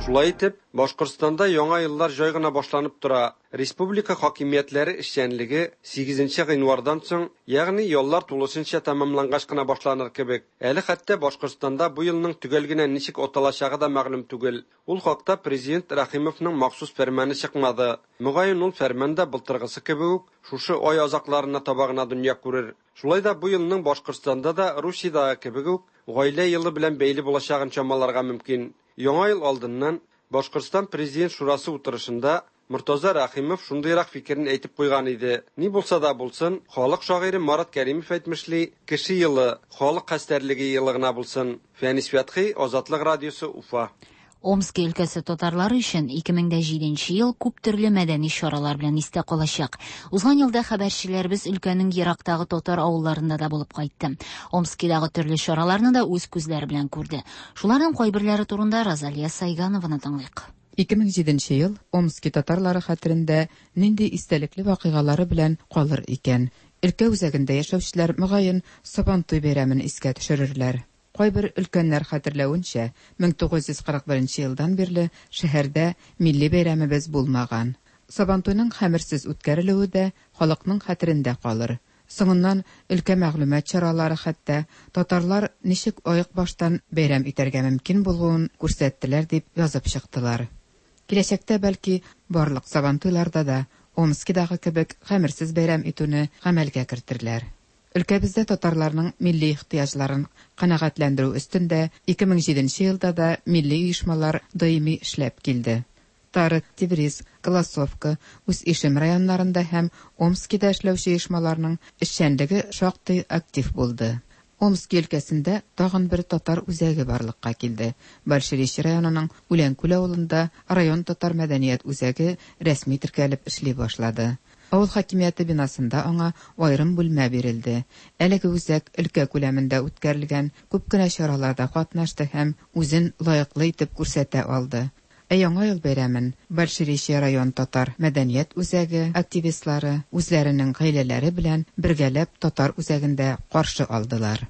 Шулай итеп, Башкортстанда яңа еллар җай гына башланып тора. Республика хакимиятләре эшчәнлеге сигезенче гыйнвардан соң, ягъни яллар тулысынча тәмамлангач кына башланыр кебек. Әле хәтта Башкортстанда бу елның төгәл генә ничек аталачагы да мәгълүм түгел. Ул хакта президент Рәхимовның махсус фәрманы чыкмады. Мөгаен, ул фәрман да былтыргысы кебек үк шушы ай азакларына таба гына дөнья күрер. Шулай да бу елның Башкортстанда да Русиядәге кебек үк Гаилә елы белән бәйле булачагын чамаларга мөмкин. Яңа ел алдыннан Башкортстан Президент шурасы утырышында Мортаза Рәхимов шундыйрак фикерен әйтеп куйган иде, Ни булса да булсын, халык шагыйре Марат Кәримов әйтмешли, кеше елы, халык хәстәрлеге елы гына булсын. Фәнис Фәтхи, Азатлык радиосы, Уфа. Омски өлкәсе татарлары өчен 2007 нче ел күп төрле мәдәни чаралар белән истә калачак. Узган елда хәбәрчеләребез өлкәнең ерактагы татар авылларында да булып кайтты. Омскидагы төрле чараларны да үз күзләре белән күрде. Шуларның кайберләре турында Розалия Сайганованы тыңлыйк. 2007 нче ел Омски татарлары хәтерендә нинди истәлекле вакыйгалары белән калыр икән? Өлкә үзәгендә яшәүчеләр, мөгаен, Сабантуй бәйрәмен искә төшерерләр. Кайбер өлкәннәр хәтерләвенчә, 1941 нче елдан бирле шәһәрдә милли бәйрәмебез булмаган. Сабантуйның хәмерсез үткәрелүе дә халыкның хәтерендә калыр. Соңыннан өлкә мәгълүмат чаралары хәтта татарлар ничек аек баштан бәйрәм итәргә мөмкин булуын күрсәттеләр дип язып чыктылар. Киләчәктә, бәлки, барлык Сабантуйларда да Омскидагы кебек хәмерсез бәйрәм итүне гамәлгә кертерләр. Өлкәбездә татарларның милли ихтыяҗларын канәгатьләндерү өстендә 2007 нче елда да милли оешмалар даими эшләп килде. Тара, Тевриз, Голосовка, Усть-Ишем районнарында һәм Омскида эшләүче оешмаларның эшчәнлеге шактый актив булды. Омски өлкәсендә тагын бер татар үзәге барлыкка килде. Большеречье районының Үләнкүл авылында район татар мәдәният үзәге рәсми теркәлеп эшли башлады. Авыл хакимияте бинасында аңа аерым бүлмә бирелде. Әлеге үзәк өлкә күләмендә үткәрелгән күп кенә чараларда катнашты һәм үзен лаеклы итеп күрсәтә алды. Ә Яңа ел бәйрәмен Большеречье район татар мәдәният үзәге активистлары үзләренең гаиләләре белән бергәләп татар үзәгендә каршы алдылар.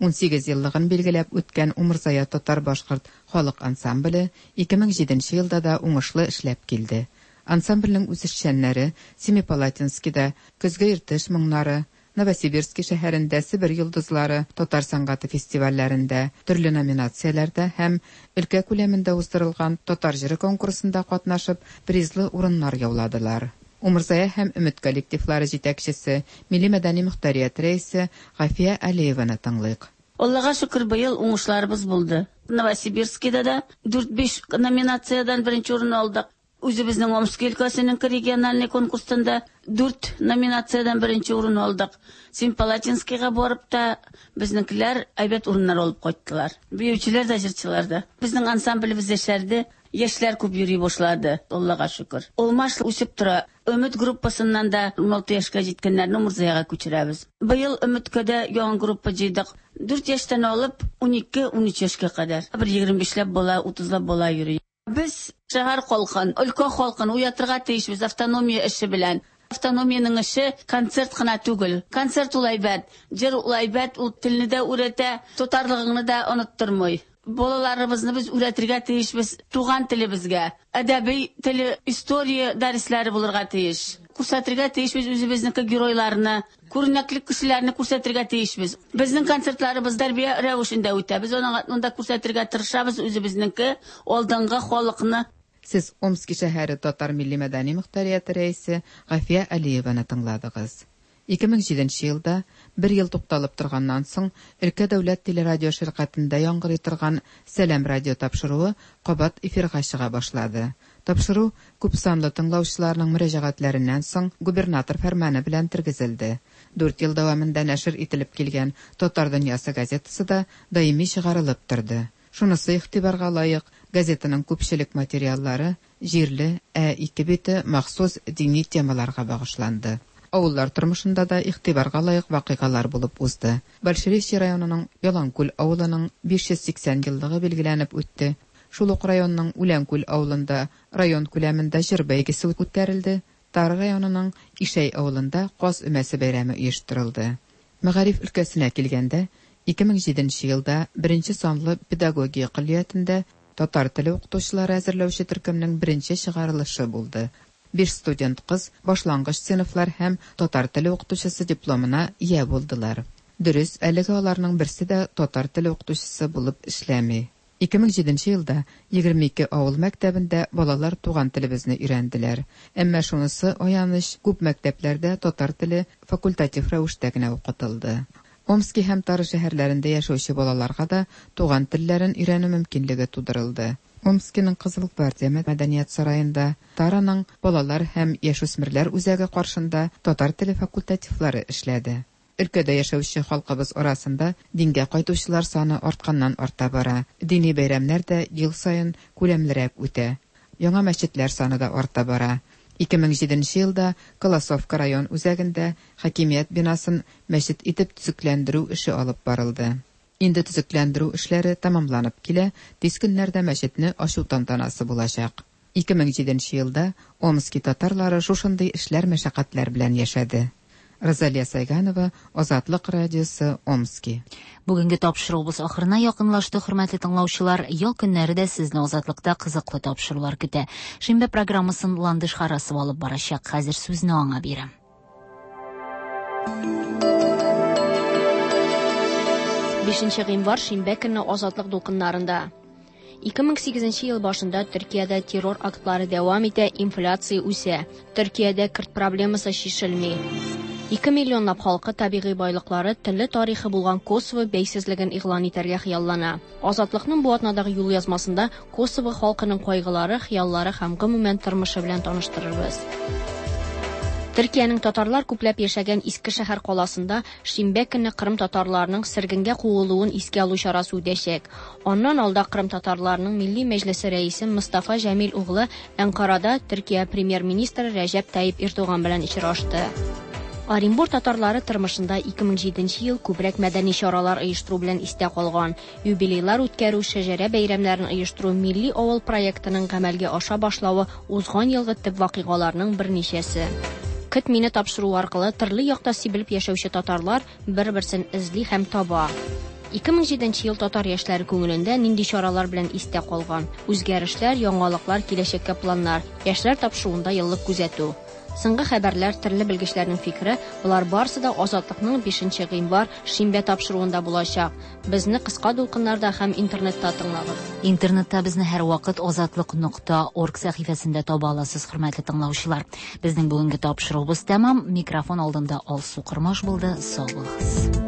18 еллыгын билгеләп үткән Умырзая татар-башкорт халык ансамбле 2007 елда да уңышлы эшләп килде. Ансамбльнең үзешчәннәре Семипалатинскида Көзге Иртыш моңнары, Новосибирски шәһәрендә Себер йолдызлары татар сәнгате фестивальләрендә төрле номинацияләрдә һәм өлкә күләмендә уздырылган Татар җыры конкурсында катнашып, призлы урыннар яуладылар. Умырзая һәм Өмет коллективлары җитәкчесе, милли-мәдәни мохтарият рәисе Гафия Алиеваны тыңлыйк. Аллага шөкер, быел уңышларыбыз булды. Новосибирскида да дүрт-биш номинациядән беренче урын алдык. Үзебезнең Омски өлкәсенең региональный конкурстан да дүрт номинациядән беренче урын алдык. Семипалатинскийга барып та безнекеләр әйбәт урыннар алып кайттылар. Биючеләр дә, җырчылар да. Безнең ансамблебез яшәрде, яшьләр күп йөри башлады, Аллага шөкер. Алмаш үсеп тора. Өмет группасыннан да 16 яшькә җиткәннәрне Умырзаяга күчерәбез. Быел Өметкә дә яңа группа җыйдык. 4 яшьтән алып 12-13 яшькә кадәр. Бер 25ләп бала, 30лап бала йөри. Без шәһәр халкын, өлкә халкын уятырга тиешбез автономия эше белән. Автономиянең эше концерт кына түгел. Концерт ул әйбәт, җыр ул әйбәт, ул телне дә үрәтә, татарлыгыңны да оныттырмый. Балаларыбызны без үрәтергә тиешбез туган телебезгә. Әдәби теле, история дәресләре булырга тиеш. Күрсәтергә тиешбез үзебезнеке геройларны, күренекле кешеләрне күрсәтергә тиешбез. Безнең концертларыбыз тәрбия рәвешендә үтә. Без аның монда күрсәтергә тырышабыз үзебезнеке алдынгы халыкны. Сез Омски шәһәре татар милли-мәдәни мохтарияте рәисе Гафия Алиеваны тыңладыгыз. 2007 елда, бер ел тукталып торганнан соң, өлкә дәүләт телерадио ширкатендә яңгырый торган Сәлам радио тапшыруы кабат эфирга чыга башлады. Тапшыру күпсанлы тыңлаучыларның мөрәҗәгатьләреннән соң губернатор фәрманы белән тергезелде. Дүрт ел дәвамында нәшер ителеп килгән Татар дөньясы газетасы да даими чыгарылып торды. Шунысы игътибарга лаек, газетаның күпчелек материаллары җирле, ә ике бите махсус дини темаларга багышланды. Авыллар тормышында да игътибарга лаек вакыйгалар булып узды. Большеречье районының Яланкүл авылының 580 еллыгы билгеләнеп үтте. Шул ук районның Үләнкүл авылында район күләмендә җыр бәйгесе үткәрелде. Тара районының Ишәй авылында Каз өмәсе бәйрәме оештырылды. Мәгариф өлкәсенә килгәндә, 2007 елда беренче санлы педагогия көллиятендә татар теле укытучылары әзерләүче төркемнең беренче чыгарылышы булды. Биш студент кыз башлангыч сыйныфлар һәм татар теле укытучысы дипломына ия булдылар. Дөрес, әлегә аларның берсе дә татар теле укытучысы булып эшләми. 2007 елда 22 авыл мәктәбендә балалар туган телебезне өйрәнделәр. Әмма шунысы аяныч, күп мәктәпләрдә татар теле факультатив рәвештә генә укытылды. Омски һәм Тара шәһәрләрендә яшәүче балаларга да туган телләрен өйрәнү мөмкинлеге тудырылды. Омскиның Кызыл гвардия мәдәният сараенда, Тараның балалар һәм яшүсмерләр үзәге каршында татар теле факультативлары эшләде. Өлкәдә яшәүче халкыбыз арасында дингә кайтучылар саны артканнан-арта бара. Дини бәйрәмнәр дә ел саен күләмлерәк үтә. Яңа мәчетләр саны да арта бара. 2007 елда Колосовка район үзәгендә хакимият бинасын мәчет итеп төзекләндерү эше алып барылды. Инде төзекләндерү эшләре тәмамланып килә, тиз көннәрдә мәчетне ачу тантанасы булачак. 2007 елда Омски татарлары шушындый эшләр-мәшәкатьләр белән яшәде. Розалия Сайганова, Азатлык радиосы, Омски. Бүгенге тапшыруыбыз ахырына якынлашты, хөрмәтле тыңлаучылар. Ял көннәре дә сезне Азатлыкта кызыклы тапшырулар көтә. Шимбә программасын Ландыш Харасова алып барачак. Хәзер сүзне аңа бирәм. Бишенче гыйнвар шимбә көнне Азатлык дулкыннарында. 2008 ел башында Төркиядә террор актлары дәвам итә, инфляция үсә. Төркиядә көрд проблемасы чишелми. 2 миллионлап халкы табигый байлыклары, телле тарихы булган Косово бәйсезлеген игълан итәргә хыяллана. Азатлыкның бу атнадагы юл язмасында Косово халкының кайгылары, хыяллары һәм гомумән тормышы белән таныштырырбыз. Төркиянең татарлар күпләп яшәгән Иске шәһәр каласында шимбә көнне Кырым татарларының сөргенгә куылуын искә алу чарасы үтәчәк. Аннан алда Кырым татарларының Милли Мәҗлесе рәисе Мостафа Җәмил углы Әнкарада Төркия премьер-министры Рәҗәп Тайип Эрдоган белән очрашты. Оренбур татарлары тормышында 2007 ел күбрәк мәдәни чаралар оештыру белән истә калган. Юбилейлар үткәрү, шәҗәрә бәйрәмнәрен оештыру, Милли авыл проектының гамәлгә аша башлавы узган елгы төп вакыйгаларның берничәсе. Көт мине тапшыруы аркылы төрле якта сибелеп яшәүче татарлар бер-берсен эзли һәм таба. 2007 ел татар яшьләре күңелендә нинди чаралар белән истә калган? Үзгәрешләр, яңалыклар, киләчәккә планнар, яшьләр тапшыруында еллык күзәтү. Соңгы хәбәрләр, төрле белгечләрнең фикере, болар барысы да Азатлыкның 5 гыйнвар шимбә тапшыруында булачак. Безне кыска дулкыннарда һәм интернетта тыңлагыз. Интернетта безне һәрвакыт азатлык нокта орг сәхифәсендә таба аласыз, хөрмәтле тыңлаучылар. Безнең бүгенге тапшыруыбыз тәмам. Микрофон алдында Алсу Кормаш булды. Сау булыгыз.